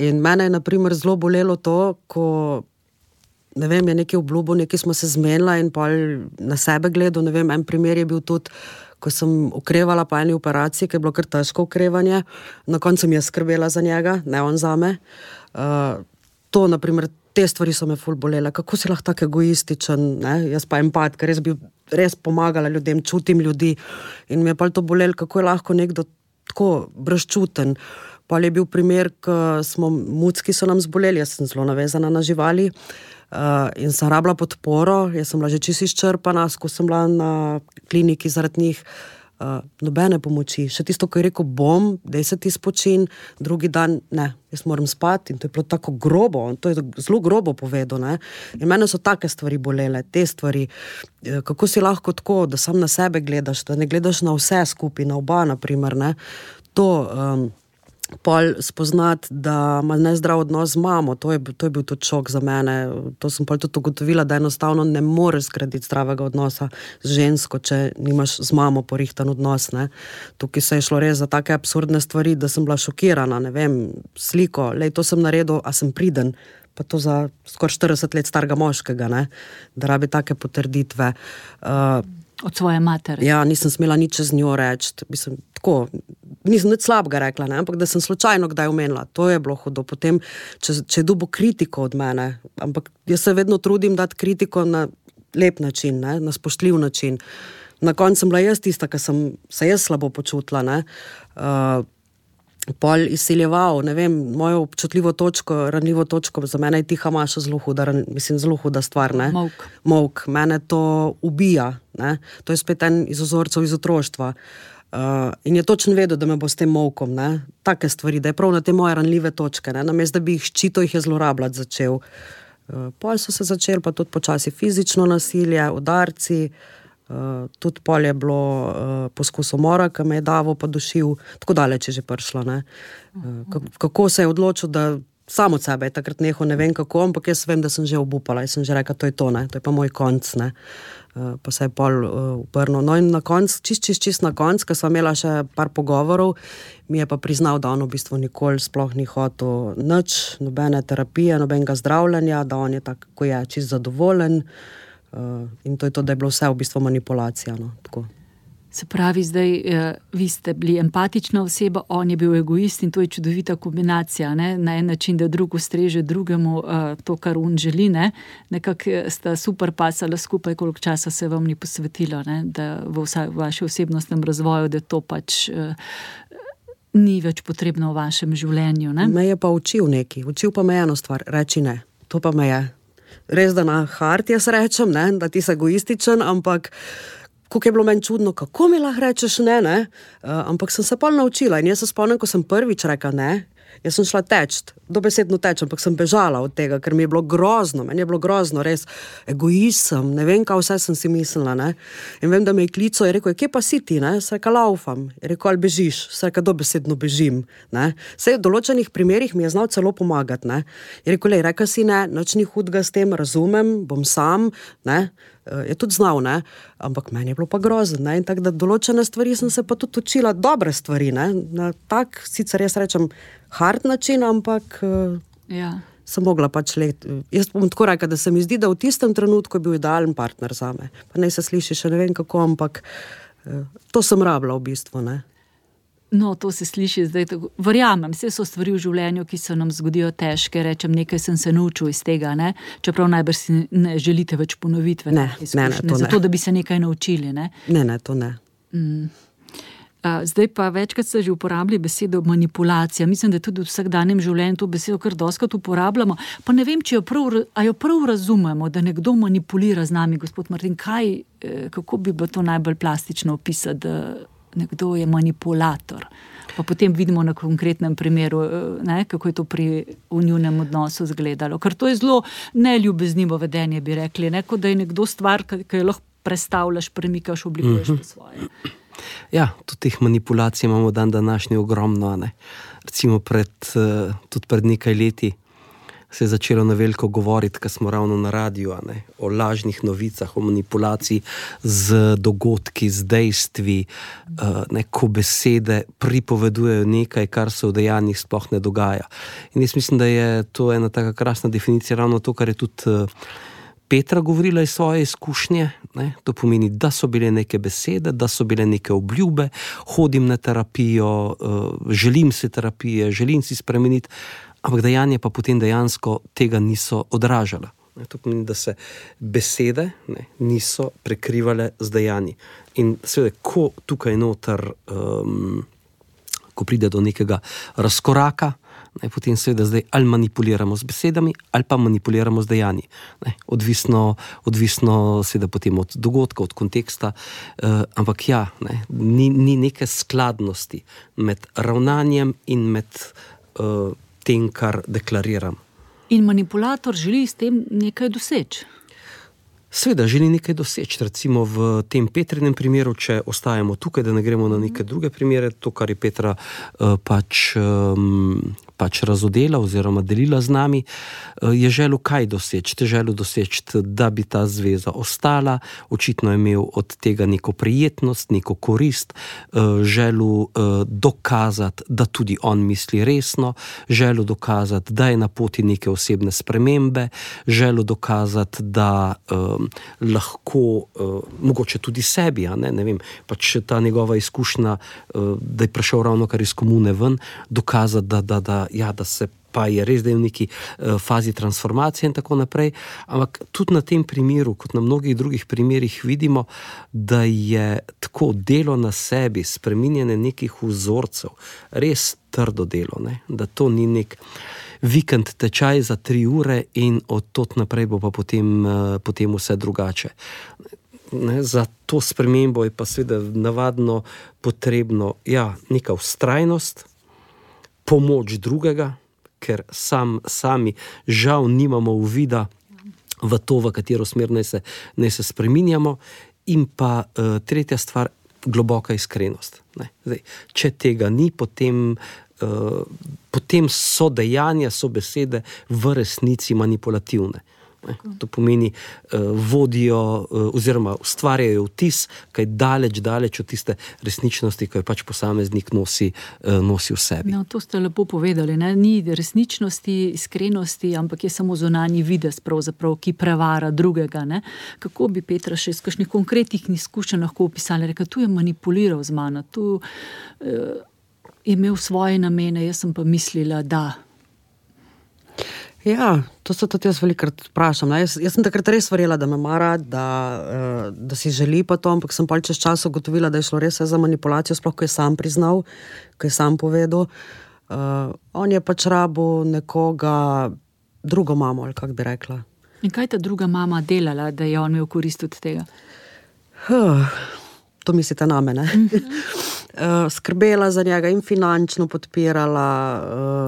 Speaker 2: In mene je, na primer, zelo bolelo to, ko, ne vem, je nekaj obljubo, nekaj smo se zmenila in pa na sebe gledal, ne vem, en primer je bil tudi, ko sem okrevala po eni operaciji, ki je bilo kar težko okrevanje, na koncu sem jaz skrbela za njega, ne on zame. Uh, to, na primer, te stvari so me ful bolele, kako si lahko tako egoističen, ne? Jaz pa empat, ker res bi res pomagala ljudem, čutim ljudi in mi je pa to bolelo, kako je lahko nekdo tako brezčuten. Pa je bil primer, ko smo mucki so nam zboleli, jaz sem zelo navezana na živali uh, in sem rabila podporo, jaz sem bila že čisto izčrpana, ko sem bila na kliniki zaradi njih, uh, nobene pomoči. Še tisto, ko je rekel, bom, daj se ti spočin, drugi dan, ne, jaz moram spati in to je bilo tako grobo, to je zelo grobo povedal, ne. In mene so take stvari bolele, te stvari, kako si lahko tako, da sam na sebe gledaš, da ne gledaš na vse skupaj, na oba, naprimer, ne, to... Um, pol spoznati, da ima nezdrav odnos z mamo, to je, to je bil tudi šok za mene, to sem pol tudi ugotovila, da enostavno ne moreš zgraditi zdravega odnosa z žensko, če nimaš z mamo porihtan odnos, ne. Tukaj se je šlo res za take absurdne stvari, da sem bila šokirana, ne vem, sliko, lej, to sem naredil, a sem priden, pa to za skoraj štirideset let starega moškega, ne, da rabi take potrditve. Uh,
Speaker 1: Od svoje matere.
Speaker 2: Ja, nisem smela nič z njo reči, mislim, tako, nisem nič slabega rekla, ne, ampak da sem slučajno kdaj omenila, to je bilo hudo. Potem, če, če je dobil kritiko od mene, ampak jaz se vedno trudim dati kritiko na lep način, ne, na spoštljiv način. Na koncu sem bila jaz tista, ki sem se jaz slabo počutila, ne, uh, pol izsiljeval, ne vem, mojo občutljivo točko, ranljivo točko, za mene je tiha Maša zelo huda, mislim, zelo huda stvar, ne.
Speaker 1: Molk.
Speaker 2: Molk, mene to ubija, ne, to je spet en iz vzorcev iz otroštva. Uh, in je točno vedel, da me bo s tem molkom, ne, take stvari, da je prav na te moje ranljive točke, ne, namesto da bi jih ščito, jih je zlorabljati začel. Uh, pol so se začeli pa tudi počasi fizično nasilje, udarci, Uh, tudi pol je bilo uh, poskus umora, ki me je Davo pa dušil, tako daleč je že prišlo, ne. Uh, kako se je odločil, da sam od sebe je takrat nehal, ne vem kako, ampak jaz vem, da sem že obupala, jaz sem že rekla, to je to, ne, to je pa moj konc, ne. Uh, pa se je pol uh, uprnil. No in na konc, čist, čist, čist na konc, ko sva imela še par pogovorov, mi je pa priznal, da on v bistvu nikoli sploh ni hotel nič, nobene terapije, nobenega zdravljenja, da on je tak, ko je čist zadovoljen. Uh, in to je to, da je bilo vse v bistvu manipulacija, no, tako.
Speaker 1: Se pravi, zdaj, eh, vi ste bili empatična oseba, on je bil egoist in to je čudovita kombinacija, ne, na en način, da drug ustreže drugemu eh, to, kar on želi, ne, nekako sta super pasala skupaj, koliko časa se vam ni posvetilo, ne, da v vsa, vašem osebnostnem razvoju, da to pač eh, ni več potrebno v vašem življenju, ne.
Speaker 2: Me je pa učil neki, učil pa me eno stvar, reči ne, to pa me je. Res, da na hart jaz rečem, ne, da ti si egoističen, ampak kako je bilo meni čudno, kako mi lahko rečeš ne, ne, uh, ampak sem se pol naučila in jaz se spomnim, ko sem prvič rekla ne, jaz sem šla teč, dobesedno teč, ampak sem bežala od tega, ker mi je bilo grozno, meni je bilo grozno, res, egoisem, ne vem, kaj vse sem si mislila, ne, in vem, da me je klical, je rekel, kje pa si ti, ne, se reka laufam, je rekel, ali bežiš, se reka dobesedno bežim, ne, sej v določenih primerih mi je znal celo pomagati, ne, je rekel, lej, reka si ne, nič ni hudega s tem, razumem, bom sam, ne, je tudi znal, ne, ampak meni je bilo pa grozno, ne, in tako da določene stvari sem se pa tudi učila, dobre stvari, ne, na tak, sicer jaz rečem, hard način, ampak
Speaker 1: ja.
Speaker 2: sem mogla pač let. Jaz bom tako rekla, da se mi zdi, da v tistem trenutku je bil idealen partner zame. Pa ne se sliši še ne vem kako, ampak to sem rabila v bistvu, ne.
Speaker 1: No, to se sliši zdaj tako. Verjamem, vse so stvari v življenju, ki se nam zgodijo težke, rečem, nekaj sem se naučil iz tega, ne, čeprav najbrž si ne želite več ponovitve.
Speaker 2: Ne, ne, ne, to ne.
Speaker 1: Zato, da bi se nekaj naučili, ne.
Speaker 2: Ne, ne, to ne.
Speaker 1: Mm. Zdaj pa večkrat ste že uporabili besedo manipulacija. Mislim, da tudi v vsakdanjem življenju to besedo kar dostikrat uporabljamo. Pa ne vem, če jo prav, a jo prav razumemo, da nekdo manipulira z nami, gospod Martin. Kaj, kako bi bilo to najbolj plastično opisati, da nekdo je manipulator? Pa potem vidimo na konkretnem primeru, ne, kako je to pri v njunem odnosu izgledalo. Ker to je zelo neljubeznivo vedenje, bi rekli, ne, kot da je nekdo stvar, ki jo lahko prestavljaš, premikaš, oblikuješ po svoje.
Speaker 3: Ja, tudi teh manipulacij imamo dan današnji ogromno, ne. Recimo pred, tudi pred nekaj leti se je začelo na veliko govoriti, ko smo ravno na radiju, ne, o lažnih novicah, o manipulaciji z dogodki, z dejstvi, ne, ko besede pripovedujejo nekaj, kar se v dejanjih sploh ne dogaja. In jaz mislim, da je to ena taka krasna definicija, ravno to, kar je tudi Petra govorila iz svoje izkušnje, ne, to pomeni, da so bile neke besede, da so bile neke obljube, hodim na terapijo, uh, želim si terapije, želim si spremeniti, ampak dejanje pa potem dejansko tega niso odražala. Ne, to pomeni, da se besede, ne, niso prekrivale z dejanji. In seveda, ko tukaj noter, um, ko pride do nekega razkoraka, Ne, potem seveda zdaj ali manipuliramo z besedami ali pa manipuliramo z dejanji. Ne, odvisno, odvisno seveda potem od dogodka, od konteksta, uh, ampak ja, ne, ni, ni neke skladnosti med ravnanjem in med uh, tem, kar deklariram.
Speaker 1: In manipulator želi s tem nekaj doseči.
Speaker 3: Seveda želi nekaj doseči, recimo v tem Petrinem primeru, če ostajamo tukaj, da ne gremo na neke druge primere, to, kar je Petra uh, pač, um, pač razodela oziroma delila z nami, uh, je želel kaj doseči? Te želel doseči, da bi ta zveza ostala, očitno je imel od tega neko prijetnost, neko korist, uh, želel uh, dokazati, da tudi on misli resno, želel dokazati, da je na poti neke osebne spremembe, želel dokazati, da uh, lahko, uh, mogoče tudi sebi, a ne, ne vem, pač ta njegova izkušnja, uh, da je prišel ravno kar iz komune ven, dokazati, da, da, da, ja, da se pa je res, da je v neki uh, fazi transformacije in tako naprej, ampak tudi na tem primeru, kot na mnogih drugih primerih vidimo, da je tako delo na sebi, spreminjanje nekih vzorcev, res trdo delo, ne? Da to ni nek vikend tečaj za tri ure in od tot naprej bo pa potem, potem vse drugače. Ne, za to spremembo je pa seveda navadno potrebno ja, neka vztrajnost, pomoč drugega, ker sam, sami žal nimamo uvida v to, v katero smer naj se, naj se spreminjamo, in pa uh, tretja stvar, globoka iskrenost. Ne. Zdaj, če tega ni, potem Uh, potem so dejanja, so besede v resnici manipulativne. Ne? To pomeni, uh, vodijo uh, oziroma ustvarjajo vtis, kaj daleč, daleč od tiste resničnosti, ki jo pač posameznik nosi, uh, nosi v sebi.
Speaker 1: No, to ste lepo povedali, ne? Ni resničnosti, iskrenosti, ampak je samo zunanji videz, pravzaprav, ki prevara drugega. Ne? Kako bi Petra še iz kakšnih konkretnih izkušenj lahko opisali? Reka, tu je manipuliral z mano, tu uh, je imel svoje namene, jaz sem pa mislila, da.
Speaker 2: Ja, to se tudi jaz velikrat vprašam. Jaz, jaz sem takrat res verjela, da me mara, da, da si želi pa to, ampak sem pa čez čas ugotovila, da je šlo res za manipulacijo, sploh ko je sam priznal, ko je sam povedal. Uh, on je pač rabil nekoga, drugo mamo, ali kak bi rekla.
Speaker 1: In kaj ta druga mama delala, da je on imel korist od tega?
Speaker 2: Huh, to mislite name, ne? Mm-hmm. Uh, skrbela za njega in finančno podpirala.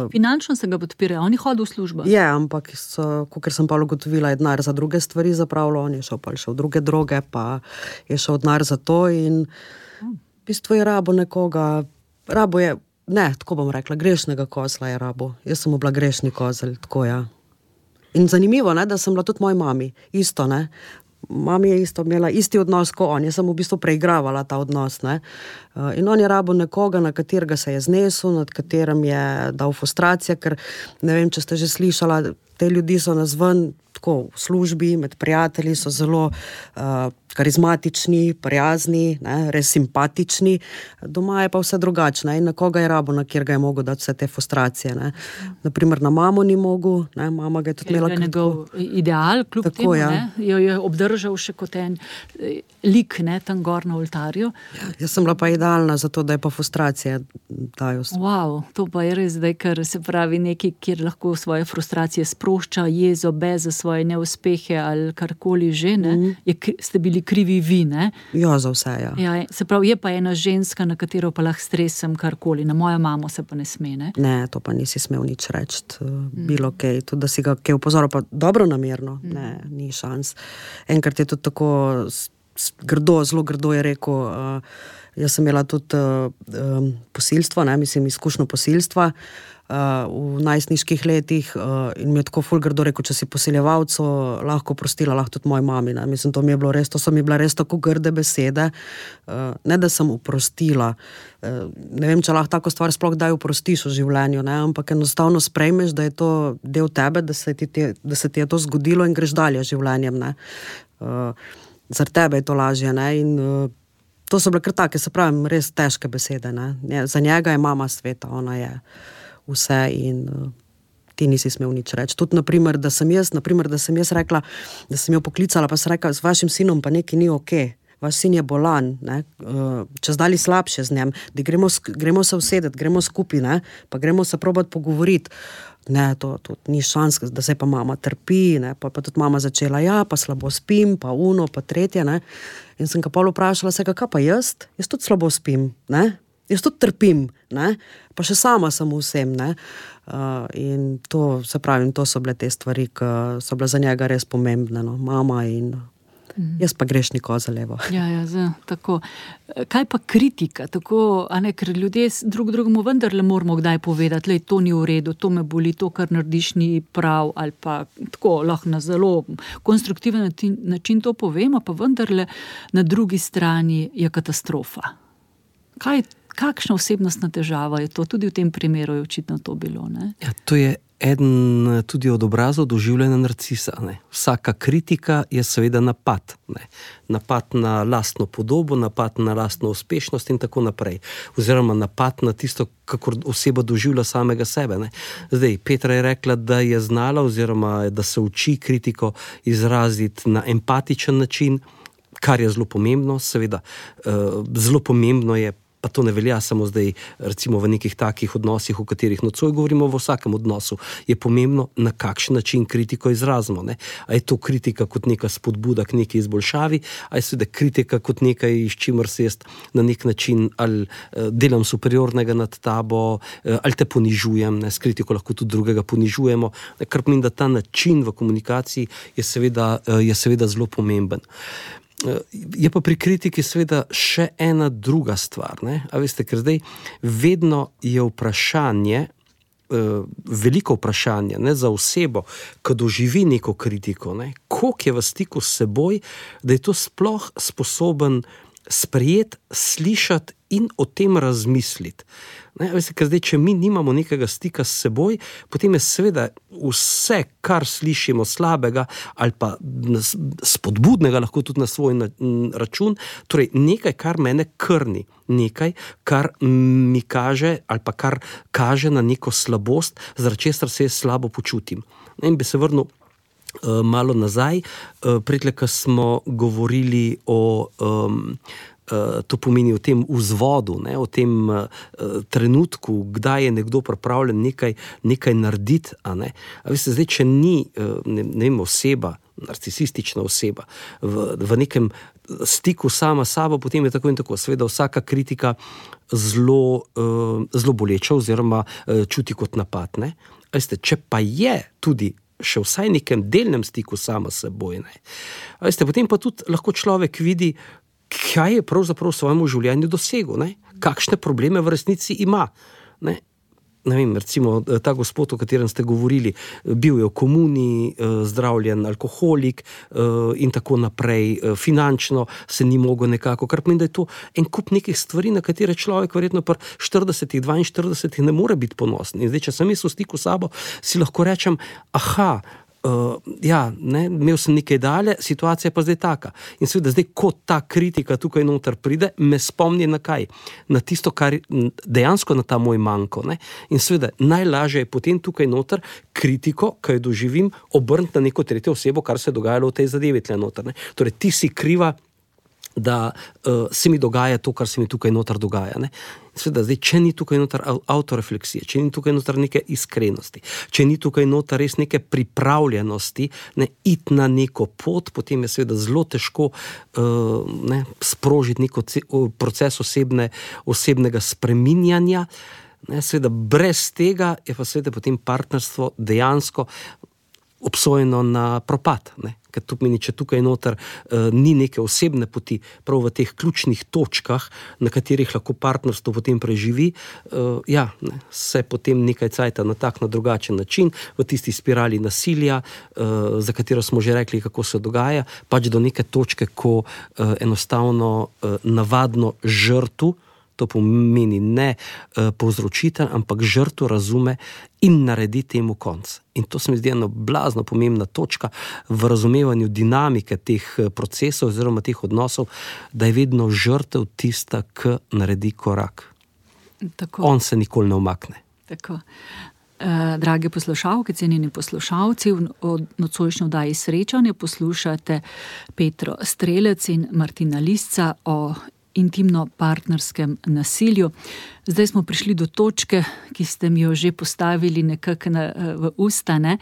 Speaker 2: Uh,
Speaker 1: finančno se ga podpira, on je hodil v službo.
Speaker 2: Je, ampak so, kakor sem pa ugotovila, je denar za druge stvari zapravljal, on je šel pa še v druge droge, pa je šel denar za to in v bistvu je rabo nekoga, rabo je, ne, tako bom rekla, grešnega kozla je rabo. Jaz sem bila grešni kozelj, tako ja. In zanimivo, ne, da sem bila tudi moji mami, isto, ne. Mami je isto imela isti odnos kot on, jaz sem v bistvu preigravala ta odnos, ne. In on je rabil nekoga, na katerega se je znesel, nad katerim je dal frustracija, ker ne vem, če ste že slišala, te ljudi so nazven tako v službi, med prijatelji so zelo uh, karizmatični, prijazni, ne, res simpatični, doma je pa vse drugačne in na koga je rabo, na kjer ga je mogel dati vse te frustracije, ne. Naprimer na mamo ni mogel, ne, mama ga je tudi imela.
Speaker 1: Je njegov ideal, kljub
Speaker 2: tako,
Speaker 1: temu,
Speaker 2: ja.
Speaker 1: ne, jo je obdržal še kot en lik, ne, tam gor na oltarju.
Speaker 2: Ja, jaz sem bila pa idealna za to, da je pa frustracije dajo.
Speaker 1: Wow, to pa je res zdaj, ker se pravi nekaj, kjer lahko svoje frustracije sprošča, jezo, beze, svoje neuspehe ali karkoli že, ne, mm. je, ste bili krivi vi, ne?
Speaker 2: Ja, za vse, ja.
Speaker 1: Ja, se pravi, je pa ena ženska, na katero pa lahko stresem karkoli, na mojo mamo se pa ne sme, ne?
Speaker 2: Ne, to pa nisi smel nič reči, mm. bilo kaj, tudi da si ga kaj upozoril, pa dobro namerno, mm. ne, ni šans. Enkrat je tudi tako grdo, zelo grdo je rekel, uh, jaz sem imela tudi uh, um, posilstvo, ne, mislim, izkušnjo posilstva, Uh, v najstniških letih uh, in mi je tako ful grdo rekel, če si posiljevalcu lahko prostila, lahko tudi moji mami. Ne? Mislim, to mi je bilo res, to so mi bile res tako grde besede. Uh, ne, da sem oprostila. Uh, ne vem, če lahko tako stvar sploh daj oprostiš v življenju, ne? Ampak enostavno sprejmeš, da je to del tebe, da se ti, te, da se ti je to zgodilo in greš dalje življenjem. Ne? Uh, zaradi tebe je to lažje. Ne? In uh, to so bile kar take, se pravim, res težke besede. Ne? Za njega je mama sveta, ona je vse in uh, ti nisi smel nič reči. Tudi, naprimer, da sem jaz, naprimer, da sem jaz rekla, da sem jo poklicala, pa sem rekla, z vašim sinom pa nekaj ni okej. vaš sin je bolan, ne, čez dali slabše z njem, da gremo, gremo se usedeti, gremo skupaj, ne, pa gremo se probati pogovoriti. Ne, to, to ni šans, da se pa mama trpi, ne, pa, pa tudi mama začela, ja, pa slabo spim, pa uno, pa tretje, ne. In sem ga pol vprašala, se kaj pa jaz? Jaz tudi slabo spim, ne. Jaz tudi trpim, ne, pa še sama sem vsem, ne. Uh, in to, se pravim, to so bile te stvari, ki so bile za njega res pomembne, no, mama in jaz pa grešnik za levo.
Speaker 1: Ja, ja, za, tako. Kaj pa kritika? Tako, a ne, ker ljudje drug drugemu vendarle moramo kdaj povedati, lej, to ni v redu, to me boli, to, kar narediš, ni prav, ali pa tako, lahko na zelo konstruktiven način to povemo, pa vendarle na drugi strani je katastrofa. Kaj, kakšna osebnostna težava je to? Tudi v tem primeru je očitno to bilo, ne?
Speaker 3: Ja, to je eden tudi od obrazov doživljanja narcisa. Ne. Vsaka kritika je seveda napad. Ne. Napad na lastno podobo, napad na lastno uspešnost in tako naprej. Oziroma napad na tisto, kako oseba doživlja samega sebe. Ne. Zdaj, Petra je rekla, da je znala oziroma da se uči kritiko izraziti na empatičen način, kar je zelo pomembno. Seveda, zelo pomembno je, pa to ne velja samo zdaj, recimo v nekih takih odnosih, o katerih nocoj govorimo, v vsakem odnosu je pomembno, na kakšen način kritiko izrazimo. Ne? A je to kritika kot neka spodbuda k neki izboljšavi, a je seveda kritika kot nekaj, iz čimer se jaz na nek način ali delam superiornega nad tabo, ali te ponižujem, ne? S kritiko lahko tudi drugega ponižujemo, ne? Kar pomeni, da ta način v komunikaciji je seveda, je seveda zelo pomemben. Je pa pri kritiki seveda še ena druga stvar, ne? A veste, ker zdaj vedno je vprašanje, veliko vprašanje, ne, za osebo, ko doživi neko kritiko, ne, koliko je v stiku s seboj, da je to sploh sposoben sprejeti, slišati in o tem razmisliti. Ne, veste, ker zdaj, če mi nimamo nekega stika s seboj, potem je seveda vse, kar slišimo slabega ali pa spodbudnega, lahko tudi na svoj račun, torej nekaj, kar mene krni, nekaj, kar mi kaže ali pa kar kaže na neko slabost, zaradi česar se jaz slabo počutim. In bi se vrnil uh, malo nazaj, uh, predle, ko smo govorili o um, to pomeni o tem vzvodu, ne, o tem uh, trenutku, kdaj je nekdo pripravljen nekaj, nekaj narediti, a ne. A veste, zdaj, če ni, uh, ne, ne vem, oseba, narcisistična oseba, v, v nekem stiku sama s sabo, potem je tako in tako. Seveda vsaka kritika zelo, uh, zelo boleča oziroma uh, čuti kot napad, ne. A veste, če pa je tudi še vsaj nekem delnem stiku sama s seboj, ne. A veste, potem pa tudi lahko človek vidi, kaj je pravzaprav v svojemu življenju dosegel, ne? Kakšne probleme v resnici ima. Ne? Ne vem, recimo ta gospod, o katerem ste govorili, bil je v komuni, zdravljen alkoholik in tako naprej, finančno se ni mogel nekako, kar pomeni, da je to en kup nekih stvari, na katere človek verjetno pri štiridesetih, dvainštiridesetih ne more biti ponosen. In zdaj, če sem jaz v stiku s sabo, si lahko rečem, aha, Uh, ja, ne, imel sem nekaj dalje, situacija je pa zdaj taka. In seveda zdaj, ko ta kritika tukaj noter pride, me spomni na kaj? Na tisto, kar dejansko na ta moj manko. Ne? In seveda najlažje je potem tukaj noter kritiko, ki jo doživim, obrniti na neko tretjo osebo, kar se je dogajalo v tej zadevi tle noter. Ne? Torej, ti si kriva, da uh, se mi dogaja to, kar se mi tukaj noter dogaja. Ne? Sveda, zdaj, če ni tukaj noter autorefleksije, če ni tukaj noter neke iskrenosti, če ni tukaj noter res neke pripravljenosti, ne, iti na neko pot, potem je seveda zelo težko uh, ne, sprožiti neko proces osebne, osebnega spreminjanja. Ne, seveda, brez tega je pa seveda potem partnerstvo dejansko obsojeno na propad, ne. Ker to pomeni, če tukaj noter uh, ni neke osebne poti, prav v teh ključnih točkah, na katerih lahko partnerstvo potem preživi, uh, ja, ne, se potem nekaj cajta na tak, na drugačen način, v tisti spirali nasilja, uh, za katero smo že rekli, kako se dogaja, pač do neke točke, ko uh, enostavno uh, navadno žrtu, to pomeni ne uh, povzročitelj, ampak žrtvo razume in naredi temu konc. In to se mi zdi ena blazno pomembna točka v razumevanju dinamike teh procesov oziroma teh odnosov, da je vedno žrtev tista, ki naredi korak.
Speaker 1: Tako.
Speaker 3: On se nikoli ne umakne.
Speaker 1: Tako. Drage poslušalke, cenjeni poslušalci, v nocojšnji oddaji Srečanje poslušate Petro Strelec in Martina Lisca o intimno-partnerskem nasilju. Zdaj smo prišli do točke, ki ste mi jo že postavili nekako v usta, ne?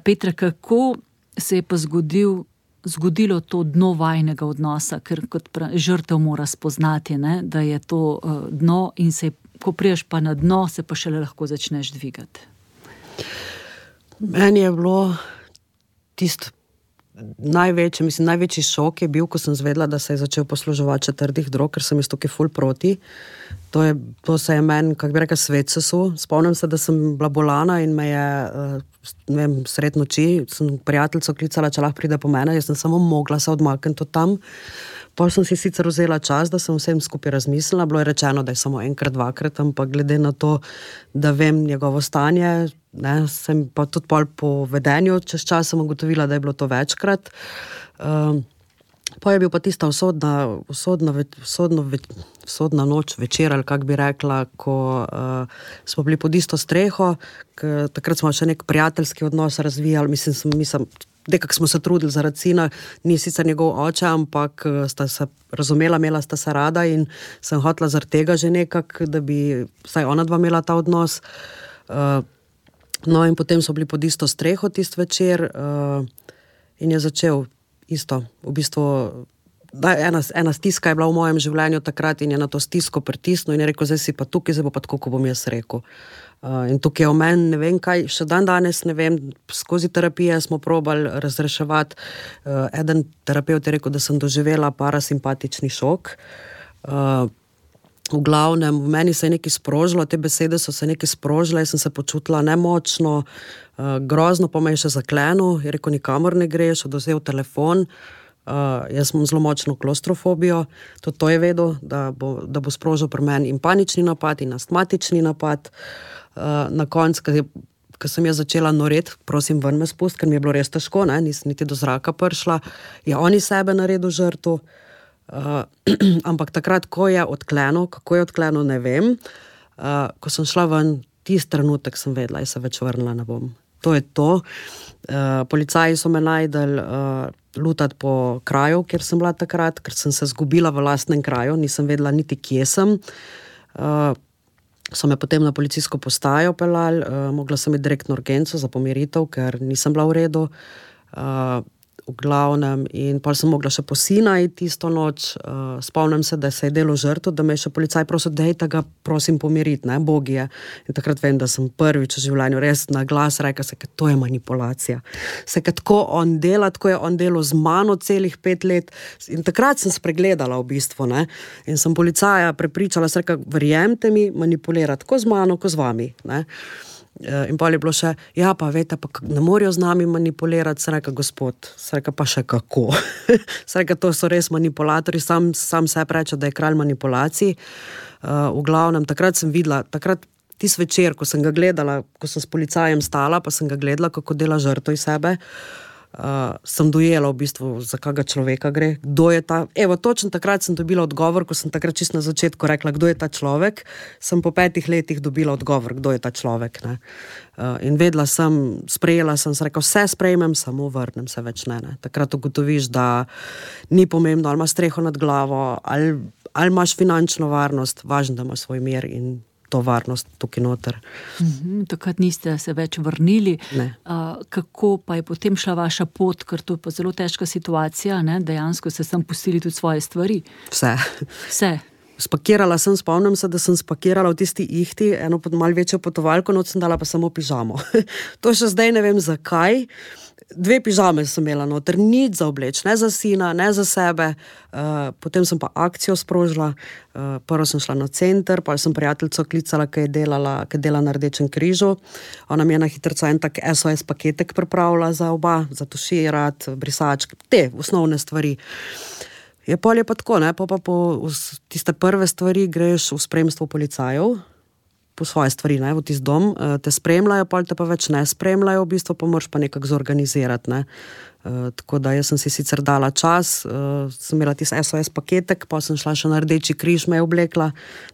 Speaker 1: Petra, kako se je pa zgodil, zgodilo to dno vajnega odnosa, ker kot žrtev mora spoznati, ne? Da je to dno in se, ko priješ pa na dno, se pa šele lahko začneš dvigati.
Speaker 2: Meni je bilo tisto največji, mislim, največji šok je bil, ko sem zvedela, da se je začel posluževati četrdih drog, ker sem jaz tukaj ful proti. To, je, to se je meni, kako bi rekel, svet sesul. Spomnim se, da sem bila bolana in me je, ne vem, sred noči, sem prijateljico klicala, če lahko pride po mene, jaz sem samo mogla se odmakniti od tam. Potem sem si sicer vzela čas, da sem vsem skupaj razmislila, bilo je rečeno, da je samo enkrat, dvakrat, ampak glede na to, da vem njegovo stanje, ne, sem pa tudi pol po vedenju čez čas sem ugotovila, da je bilo to večkrat. Um, pa je bil pa tista usodna, usodna, usodno, usodna noč, večer, ali kak bi rekla, ko uh, smo bili pod isto streho, k, takrat smo še nek prijateljski odnos razvijali, mislim, sem, mislim dekak smo se trudili zaradi sina, ni sicer njegov oče, ampak sta se razumela, imela sta se rada in sem hotela zaradi tega že nekak, da bi vsaj ona dva imela ta odnos. Uh, no in potem so bili pod isto streho tist večer uh, in je začel isto, v bistvu da, ena, ena stiska je bila v mojem življenju takrat in je na to stisko pritisnil in je rekel, zdaj si pa tukaj, zdaj bo pa tako, ko bom jaz rekel. Uh, in tukaj je o meni, ne vem kaj, še dan danes, ne vem, skozi terapije smo probali razreševati. Uh, eden terapeut je rekel, da sem doživela parasimpatični šok. Uh, v glavnem, v meni se je nekaj sprožilo, te besede so se nekaj sprožile, jaz sem se počutila nemočno, uh, grozno pa me je še zaklenil, je rekel, nikamor ne greš, oduzel telefon. Uh, jaz imam zelo močno klaustrofobijo, tudi to je vedel, da bo, da bo sprožil pri meni in panični napad in astmatični napad. Uh, na koncu, ko sem jaz začela noreti, prosim, ven me spust, ker mi je bilo res težko, ne, nisem niti do zraka prišla, je on iz sebe naredil žrtev. Uh, ampak takrat, ko je odklenil, kako je odklenil, ne vem, uh, ko sem šla ven, tisti trenutek sem vedela, jaz se več vrnila ne bom. To je to. Uh, policaji so me najdeli uh, lutati po kraju, kjer sem bila takrat, ker sem se zgubila v lastnem kraju, nisem vedela niti kje sem. Uh, so me potem na policijsko postajo pelali, uh, mogla sem iti direktno urgenco za pomiritev, ker nisem bila v redu. Uh, v glavnem in pa sem mogla še po sina iti tisto noč. Uh, spomnim se, da se je delo žrtev, da me je še policaj prosil, dejte ga, prosim, pomiriti, ne, Bogi je. In takrat vem, da sem prvič v življenju res na glas rekla se, ker to je manipulacija. Se, ker tako on dela, tako je on delal z mano celih pet let in takrat sem spregledala v bistvu, ne. In sem policaja prepričala, se reka, verjemte mi, manipulira tako z mano, kot z vami, ne. In pa je bilo še, ja, pa vete, pa ne morajo z nami manipulirati, se reka, gospod, se reka, pa še kako. Se reka, to so res manipulatorji, sam, sam sebe reče, da je kralj manipulacij. Uh, v glavnem, takrat sem videla, takrat tis večer, ko sem ga gledala, ko sem s policajem stala, pa sem ga gledala, kako dela žrtev iz sebe, uh, sem dojela v bistvu, za kakega človeka gre, kdo je ta, evo, točno takrat sem dobila odgovor, ko sem takrat čisto na začetku rekla, kdo je ta človek, sem po petih letih dobila odgovor, kdo je ta človek, ne. Uh, in vedela sem, sprejela sem, se rekla, vse sprejmem, samo vrnem se več ne, ne. Takrat ugotoviš, da ni pomembno, ali imaš streho nad glavo, ali, ali imaš finančno varnost, važno, da imaš svoj mir in to varnost tukaj noter.
Speaker 1: Mm-hmm, takrat niste se več vrnili. Uh, kako pa je potem šla vaša pot, ker to je pa zelo težka situacija, ne? Dejansko se sem pustili tudi svoje stvari.
Speaker 2: Vse.
Speaker 1: Vse.
Speaker 2: Spakirala sem, spomnim se, da sem spakirala v tisti ihti, eno pod malo večjo potovalko, noč sem dala pa samo pižamo. To še zdaj ne vem zakaj. Dve pižame sem imela noter, nič za obleč, ne za sina, ne za sebe. Uh, potem sem pa akcijo sprožila, uh, prvo sem šla na center, pa sem prijateljico klicala, ki je delala, ki je dela na Rdečem križu. Ona mi je na hitrco en tak S O S paketek pripravila za oba, za tuširat, brisačke, te osnovne stvari. Je pol je pa tako, ne, pa pa po tiste prve stvari greš v spremstvu policajev, po svoje stvari, ne, v tisti dom, te spremljajo, pa te pa več ne spremljajo, v bistvu pa moraš pa nekako zorganizirati, ne. Uh, tako da jaz sem si sicer dala čas, uh, sem imela tisti S O S paketek, pa sem šla še na Rdeči križ, me je oblekla,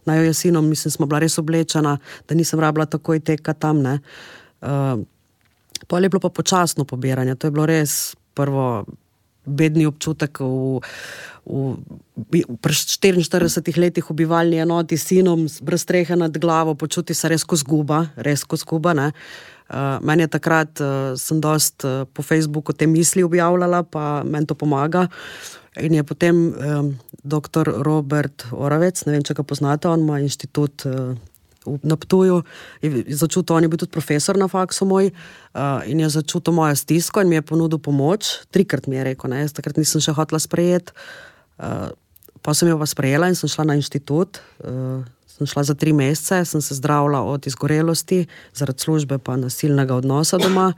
Speaker 2: na jo jesinom, mislim, smo bila res oblečena, da nisem rabila takoj teka tam, ne. Uh, pa je bilo pa počasno pobiranje, to je bilo res prvo bedni občutek v, v, v štiriinštiridesetih letih v bivalni enoti s sinom, brez strehe nad glavo, počuti se res ko zguba, res ko zguba, ne. Uh, meni je takrat, uh, sem dost uh, po Facebooku te misli objavljala, pa meni to pomaga. In je potem um, doktor Robert Oravec, ne vem, če ga poznate, on ima inštitut uh, na Ptuju, je začutil, on je bil tudi profesor na faksu moj, uh, in je začutil mojo stisko in mi je ponudil pomoč. Trikrat mi je rekel, ne, jaz takrat nisem še hotela sprejeti. Uh, pa sem jo pa sprejela in sem šla na inštitut, uh, sem šla za tri mesece, sem se zdravila od izgorelosti, zaradi službe pa nasilnega odnosa doma.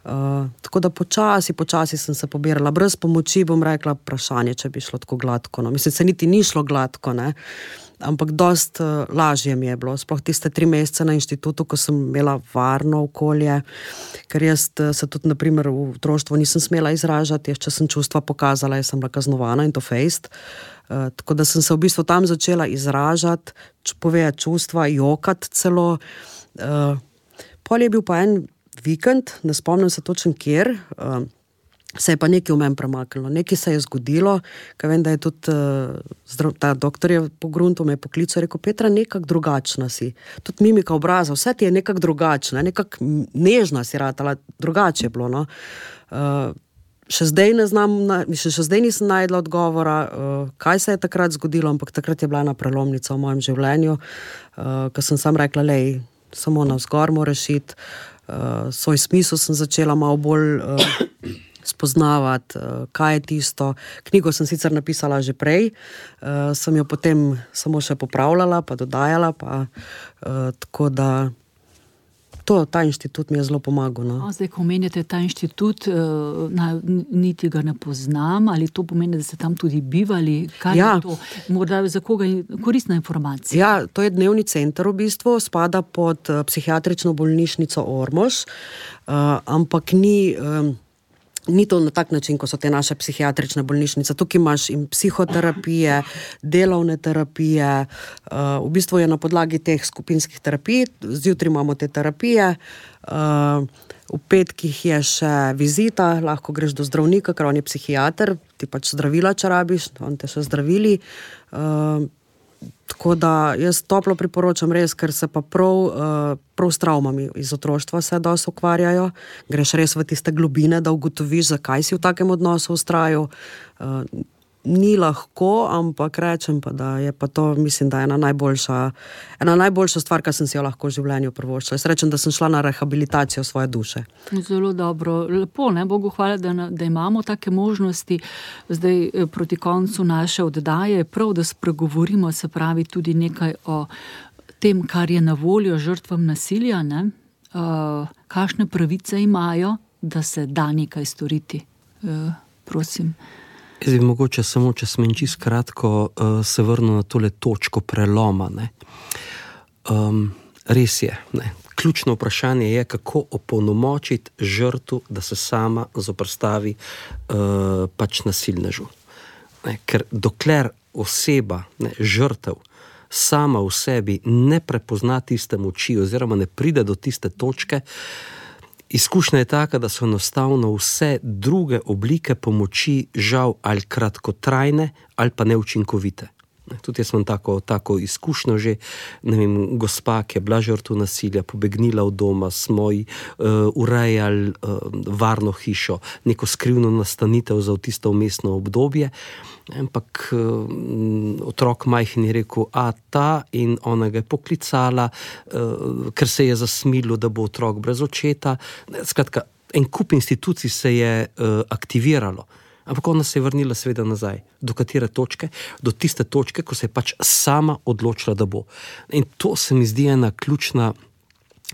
Speaker 2: Uh, tako da počasi, počasi sem se pobirala. Brez pomoči bom rekla vprašanje, če bi šlo tako gladko. No. Mislim, se niti ni šlo gladko, ne. Ampak dost uh, lažje mi je bilo. Sploh tiste tri mesece na inštitutu, ko sem imela varno okolje, ker jaz uh, se tudi, naprimer, v otroštvu nisem smela izražati, jaz, če sem čustva pokazala, jaz sem bila kaznovana in to fejst. Uh, tako da sem se v bistvu tam začela izražati, povedati čustva, jokati celo. Uh, pol je bil pa en vikend, ne spomnim se točen kjer, uh, se je pa nekaj v meni premaknilo, nekaj se je zgodilo, ker vem, da je tudi uh, zdrav, ta doktor je pogruntil, me je poklical, rekel, Petra, nekak drugačna si, tudi mimika obraza, vse ti je nekak drugačna, nekak nežna si ratala, drugače je bilo, no. Uh, Še zdaj ne znam, še, še zdaj nisem najdla odgovora, uh, kaj se je takrat zgodilo, ampak takrat je bila ena prelomnica v mojem življenju, uh, ko sem sam rekla, lej, samo navzgor moraš iti, uh, svoj smisel sem začela malo bolj uh, spoznavati, uh, kaj je tisto. Knjigo sem sicer napisala že prej, uh, sem jo potem samo še popravljala, pa dodajala, pa uh, tako da To, ta inštitut mi je zelo pomagal. No.
Speaker 1: No, zdaj, ko omenjate ta inštitut, na, niti ga ne poznam, ali to pomeni, da ste tam tudi bivali? Kaj ja. je to? Morda za koga je koristna informacija?
Speaker 2: Ja, to je dnevni center v bistvu, spada pod psihiatrično bolnišnico Ormož, uh, ampak ni... Um, Ni to na tak način, ko so te naše psihiatrične bolnišnice. Tukaj imaš in psihoterapije, delovne terapije, uh, v bistvu je na podlagi teh skupinskih terapij, zjutraj imamo te terapije, uh, v petkih je še vizita, lahko greš do zdravnika, ker on je psihiater, ti pač zdravila, če rabiš, on te še zdravili. Uh, Tako da jaz toplo priporočam res, ker se pa prav, uh, prav s travmami iz otroštva se dosti ukvarjajo. Greš res v tiste globine, da ugotoviš, zakaj si v takem odnosu vztrajal. Uh, ni lahko, ampak rečem pa, da je pa to, mislim, da je ena najboljša, ena najboljša stvar, kar sem si jo lahko v življenju privoščila. Jaz rečem, da sem šla na rehabilitacijo svoje duše.
Speaker 1: Zelo dobro. Lepo, ne? Bogu hvala, da, da imamo take možnosti. Zdaj proti koncu naše oddaje je prav, da spregovorimo, se pravi, tudi nekaj o tem, kar je na voljo žrtvam nasilja, ne? Uh, kakšne pravice imajo, da se da nekaj storiti. Uh, prosim.
Speaker 3: Jaz bi mogoče samo, če smem čisto kratko, uh, se vrnil na tole točko preloma. Ne. Um, res je. Ne. Ključno vprašanje je, kako opolnomočiti žrtvu, da se sama zoprstavi uh, pač nasilnežu. Ne. Ker dokler oseba, ne, žrtev, sama v sebi ne prepozna tiste moči oziroma ne pride do tiste točke, izkušnja je taka, da so enostavno vse druge oblike pomoči žal ali kratkotrajne ali pa neučinkovite. Tudi jaz imam tako, tako izkušnjo že, ne vem, gospa, ki je bila žrtev nasilja, pobegnila od doma, smo ji uh, urejali uh, varno hišo, neko skrivno nastanitev za tisto vmesno obdobje, ampak uh, otrok majhen je rekel, a ta, in ona ga je poklicala, uh, ker se je zasmilil, da bo otrok brez očeta. Skratka, en kup institucij se je uh, aktiviralo. Ampak ona se je vrnila seveda nazaj. Do katere točke? Do tiste točke, ko se je pač sama odločila, da bo. In to se mi zdi ena ključna,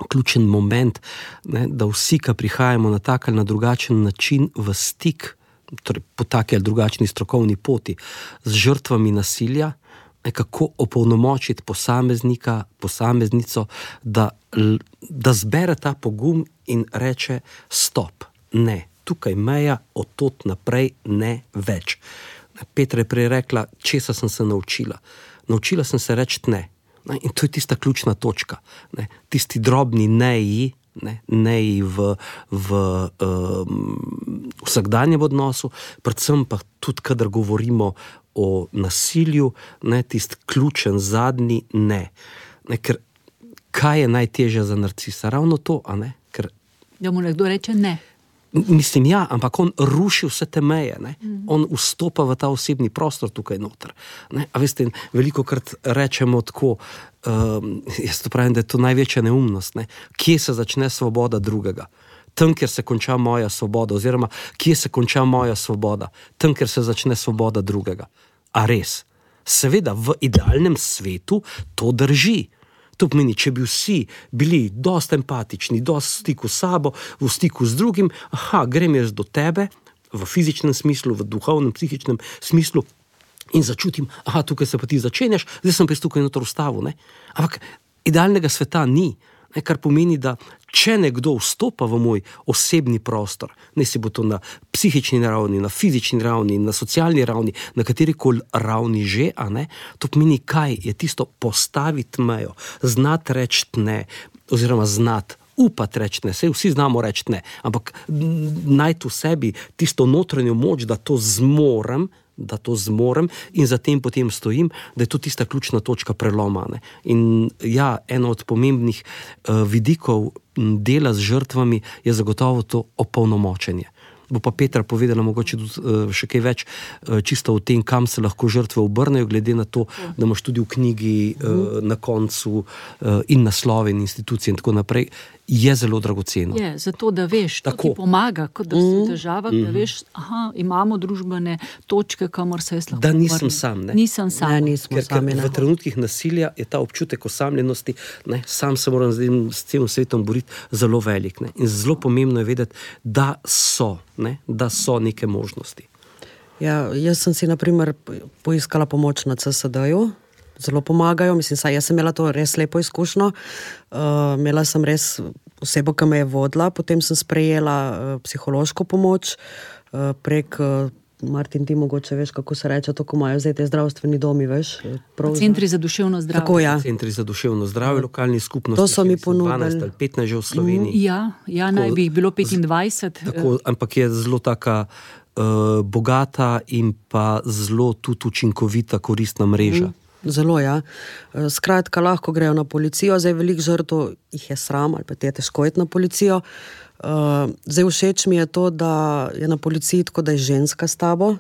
Speaker 3: ključen moment, ne, da vsi, ki prihajamo na tak ali na drugačen način v stik, torej po taki ali drugačni strokovni poti, z žrtvami nasilja, kako opolnomočiti posameznika, posameznico, da, da zbere ta pogum in reče stop, ne, tukaj meja, od tod naprej ne več. Petra je prej rekla, česa sem se naučila. Naučila sem se reči ne. In to je tista ključna točka. Ne. Tisti drobni neji, ne, neji v, v um, vsakdanjem odnosu, predvsem pa tudi, kadar govorimo o nasilju, ne, tisti ključen zadnji ne. Ne, ker kaj je najtežje za narcisa? Ravno to, a ne? Ker,
Speaker 1: da mu nekdo reče ne.
Speaker 3: Mislim, ja, ampak on ruši vse te meje, ne? Mm. On vstopa v ta osebni prostor tukaj noter. Ne? A veste, veliko krat rečemo tako, um, jaz to pravim, da je to največja neumnost, ne? Kje se začne svoboda drugega? Tam, kjer se konča moja svoboda, oziroma kje se konča moja svoboda? Tam, kjer se začne svoboda drugega. A res? Seveda, v idealnem svetu to drži. To pomeni, če bi vsi bili dosti empatični, dosti v stiku s sabo, v stiku z drugim, aha, grem jaz do tebe, v fizičnem smislu, v duhovnem, psihičnem smislu in začutim, aha, tukaj se pa ti začenjaš, zdaj sem pa tukaj noter ustavil, ne. Ampak idealnega sveta ni, ne, kar pomeni, da če nekdo vstopa v moj osebni prostor, ne si bo to na psihični ravni, na fizični ravni, na socialni ravni, na katerikoli ravni že, a ne, to pomeni, kaj je tisto postaviti mejo, znati reči ne, oziroma znati upati reči ne, saj vsi znamo reči ne, ampak najti v sebi tisto notranjo moč, da to zmorem, da to zmorem in zatem potem stojim, da je to tista ključna točka preloma. Ne. In ja, eno od pomembnih uh, vidikov dela z žrtvami je zagotovo to opolnomočenje. Bo pa Petra povedala mogoče tudi uh, še kaj več uh, čisto o tem, kam se lahko žrtve obrnejo, glede na to, ja. Da imaš tudi v knjigi uh, na koncu uh, in naslove in institucije in tako naprej, je zelo dragoceno.
Speaker 1: Je, zato da veš, to ti pomaga, kot da si v težavah, mm. da veš, aha, imamo družbene točke, kamor se jaz lahko
Speaker 3: da nisem
Speaker 1: vrnem.
Speaker 3: sam, ne?
Speaker 1: Nisem sam.
Speaker 2: Ne, nismo
Speaker 3: ker,
Speaker 2: sami,
Speaker 3: ker v trenutkih nasilja je ta občutek osamljenosti, ne, sam se moram zdaj s celim svetom boriti, zelo velik. Ne? In zelo pomembno je vedeti, da so, ne? Da so neke možnosti.
Speaker 2: Ja, jaz sem si, na primer, poiskala pomoč na C S D-ju, zelo pomagajo, mislim, saj jaz sem imela to res lepo izkušnjo, uh, imela sem res osebo, ki me je vodila, potem sem sprejela uh, psihološko pomoč uh, prek, uh, Martin, ti mogoče veš, kako se reče, to, ko imajo zdaj te zdravstveni domi, veš?
Speaker 1: Centri za duševno zdravje.
Speaker 2: Tako, ja.
Speaker 3: Centri za duševno zdravje, lokalni skupnosti.
Speaker 2: To so mi ponudili.
Speaker 3: dvanajst ali petnajst že v Sloveniji.
Speaker 1: Ja, ja, naj bi jih bilo petindvajset.
Speaker 3: Tako, ampak je zelo taka uh, bogata in pa zelo tudi učinkovita, koristna mreža. Mm.
Speaker 2: Zelo, ja. Skratka, lahko grejo na policijo, zdaj veliko žrtev jih je sram, ali pa ti je težko iti na policijo. Uh, zdaj všeč mi je to, da je na policiji tako, da je ženska s tabo.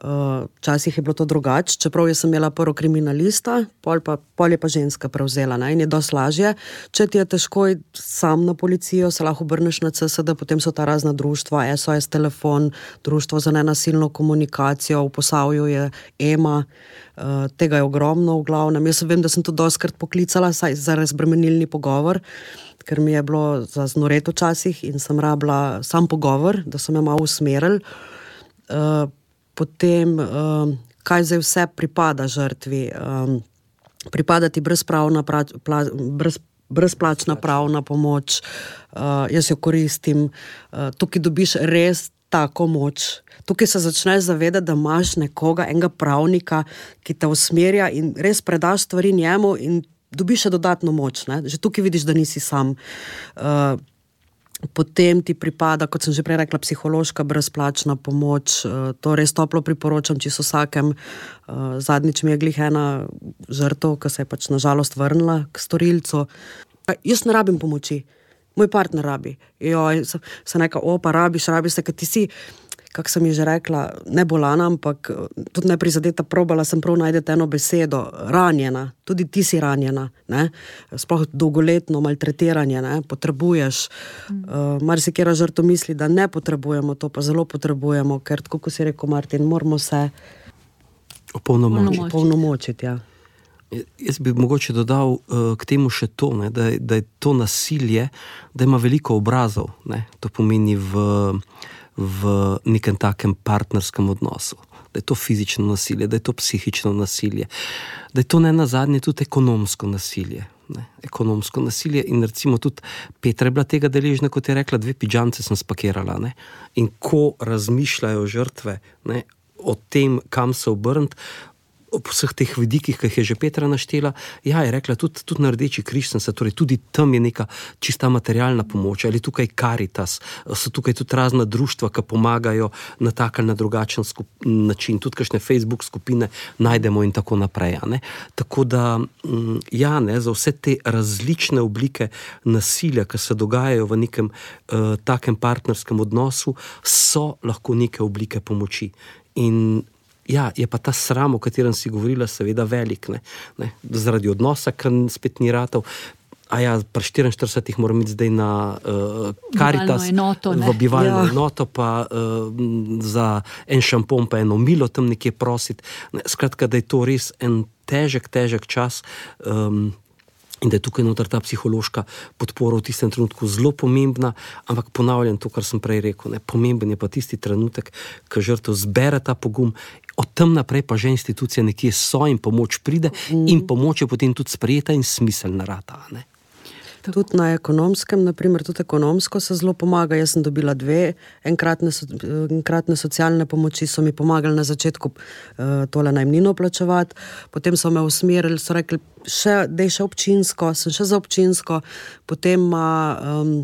Speaker 2: Včasih uh, je bilo to drugače, čeprav jaz sem imela prvo kriminalista, pol, pa, pol je pa ženska prevzela, ne? In je dosti lažje. Če ti je težko iti sam na policijo, se lahko obrneš na C S D, potem so ta razna društva, S O S telefon, društvo za nenasilno komunikacijo, v Posavju je E M A, uh, tega je ogromno v glavnem. Jaz vem, da sem to dostikrat poklicala saj za razbremenilni pogovor, ker mi je bilo za znoret včasih in sem rabila sam pogovor, da sem jo malo usmeril. Uh, Potem, um, kaj zdaj vse pripada žrtvi. Um, pripada ti brezpravna, pra, pla, brez, brezplačna pravna pomoč, uh, jaz jo koristim. Uh, tukaj dobiš res tako moč. Tukaj se začneš zavedati, da imaš nekoga, enega pravnika, ki te usmerja in res predaš stvari njemu in dobiš še dodatno moč. Ne? Že tukaj vidiš, da nisi sam. Uh, Potem ti pripada, kot sem že prej rekla, psihološka brezplačna pomoč. To res toplo priporočam čisto vsakem. Zadnjič mi je glih ena žrtev, ki se je pač nažalost vrnila k storilcu. Jaz ne rabim pomoči, moj partner rabi. Joj, se neka, o, pa rabiš, rabiš se, ker ti si, kak sem ji že rekla, ne bolana, ampak tudi ne prizadeta, probala sem prav najdeti eno besedo, ranjena, tudi ti si ranjena, ne? Sploh dolgoletno maltretiranje, ne? Potrebuješ. Mm. Uh, marsikera žrtev misli, da ne potrebujemo, to pa zelo potrebujemo, ker tako, ko si rekel, Martin, moramo se
Speaker 3: opolnomočiti.
Speaker 2: opolnomočiti, ja.
Speaker 3: Jaz bi mogoče dodal uh, k temu še to, ne, da, da je to nasilje, da ima veliko obrazov, ne? To pomeni v v nekem takem partnerskem odnosu. da je to fizično nasilje, da je to psihično nasilje, da je to ne nazadnje tudi ekonomsko nasilje. Ne, ekonomsko nasilje in recimo tudi Petra je bila tega deležna, kot je rekla, dve pidžamce sem spakirala, ne, in ko razmišljajo žrtve, ne, o tem, kam se obrniti, ob vseh teh vidikih, ki jih je že Petra naštela, ja, je rekla, tudi, tudi na Rdeči križ sem se, torej tudi tam je neka čista materialna pomoč, ali tukaj Karitas, so tukaj tudi razna društva, ki pomagajo na tak ali na drugačen skup, način, tudi kakšne Facebook skupine najdemo in tako naprej, ne. Tako da, ja, ne, za vse te različne oblike nasilja, ki se dogajajo v nekem uh, takem partnerskem odnosu, so lahko neke oblike pomoči. In ja, je pa ta sram, o katerem si govorila, seveda velik, ne, ne, zaradi odnosa, ker spet ni ratov. A ja, pri štiriinštiridesetih moram iti zdaj na uh, Karitas,
Speaker 1: enoto,
Speaker 3: v bivalno
Speaker 1: ja.
Speaker 3: enoto, pa uh, za en šampon, pa eno milo tam nekje prositi. Ne, skratka, da je to res en težek, težek čas, um, in da je tukaj noter ta psihološka podpora v tistem trenutku zelo pomembna, ampak ponavljam to, kar sem prej rekel, ne, pomemben je pa tisti trenutek, ko žrtev zbere ta pogum, od tam naprej pa že institucije nekje so in pomoč pride mm. in pomoč je potem tudi sprejeta in smiselna rata, ne.
Speaker 2: Tudi na ekonomskem, naprimer, tudi ekonomsko se zelo pomaga. Jaz sem dobila dve enkratne, enkratne socialne pomoči, so mi pomagali na začetku uh, tole najemnino plačevati, potem so me usmerili, so rekli, še, dej še občinsko, sem še za občinsko, potem ima um,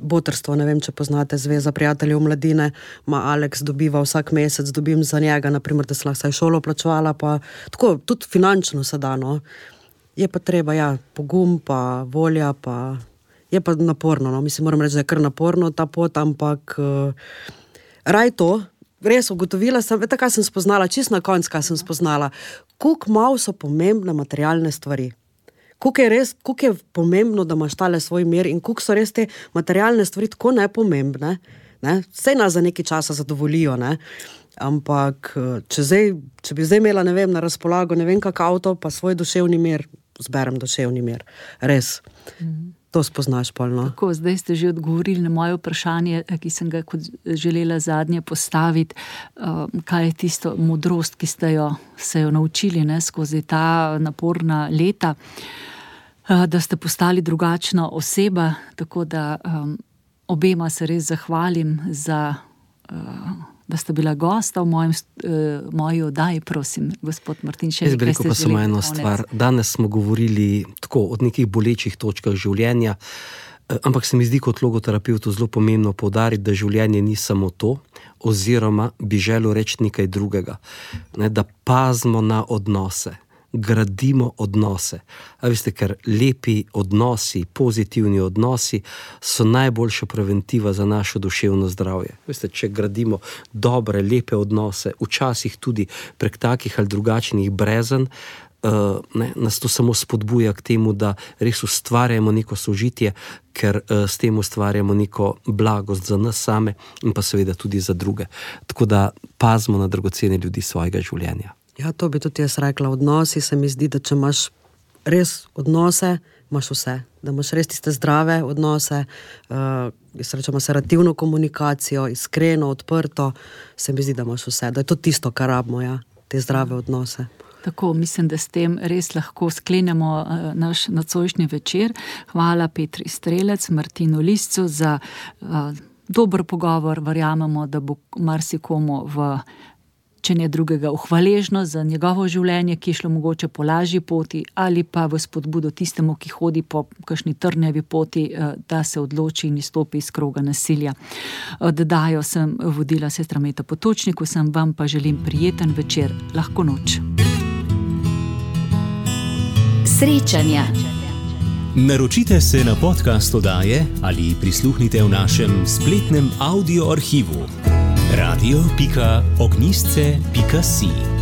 Speaker 2: botrstvo, ne vem, če poznate, Zveza prijateljev mladine, ima Alex dobiva vsak mesec, dobim za njega, naprimer, da sem lahko šolo plačevala, pa tako, tudi finančno se da, no. Je pa treba, ja, pogum, pa volja, pa je pa naporno, no, mislim, moram reči, da je kar naporno ta pot, ampak uh, raj to, res ugotovila sem, vete, kaj sem spoznala, čist na konc, kaj sem spoznala, koliko malo so pomembne materialne stvari, koliko je res, koliko je pomembno, da imaš tale svoj mir in koliko so res te materialne stvari tako nepomembne, ne, saj nas za nekaj časa zadovoljijo, ne, ampak če, zdaj, če bi zdaj imela, ne vem, na razpolago, ne vem kak avto, pa svoj duševni mir, zberem duševni mir. Res. Mm. To spoznaš polno.
Speaker 1: Tako, zdaj ste že odgovorili na moje vprašanje, ki sem ga kot želela zadnje postaviti. Kaj je tisto modrost, ki ste jo, se jo naučili, ne, skozi ta naporna leta, da ste postali drugačna oseba, tako da um, obema se res zahvalim za uh, da sta bila gosta v mojem, uh, moji oddaji, prosim, gospod Martin, še nekaj ste želeli. Jaz bi rekel pa samo eno stvar. Danes smo govorili tako od nekih bolečih točkah življenja, ampak se mi zdi kot logoterapevtu zelo pomembno poudariti, da življenje ni samo to, oziroma bi želel reči nekaj drugega. Ne, da pazimo na odnose, gradimo odnose. A veste, ker lepi odnosi, pozitivni odnosi so najboljša preventiva za našo duševno zdravje. Veste, če gradimo dobre, lepe odnose, včasih tudi prek takih ali drugačnih brezen, uh, ne, nas to samo spodbuja k temu, da res ustvarjamo neko sožitje, ker uh, s tem ustvarjamo neko blagost za nas same in pa seveda tudi za druge. Tako da pazimo na dragocene ljudi svojega življenja.
Speaker 2: Ja, to bi tudi jaz rekla. Odnosi se mi zdi, da če imaš res odnose, imaš vse. Da imaš res tiste zdrave odnose, uh, jaz rečem, aserativno komunikacijo, iskreno, odprto, se mi zdi, da imaš vse. Da je to tisto, kar rabimo, ja, te zdrave odnose.
Speaker 1: Tako, mislim, da s tem res lahko sklenemo uh, naš nocojšnji večer. Hvala Petri Strelec, Martinu Liscu za uh, dober pogovor. Verjamemo, da bo marsikomu v če ne drugega, hvaležno za njegovo življenje, ki je šlo mogoče po lažji poti, ali pa v spodbudo tistemu, ki hodi po kakšni trnjavi poti, da se odloči in izstopi iz kroga nasilja. Oddajo sem vodila sestra Meta Potočnik, vsem vam pa želim prijeten večer, lahko noč.
Speaker 4: Srečanja. Naročite se na podcast oddaje ali prisluhnite v našem spletnem audio arhivu radio pika ognjisce pika si.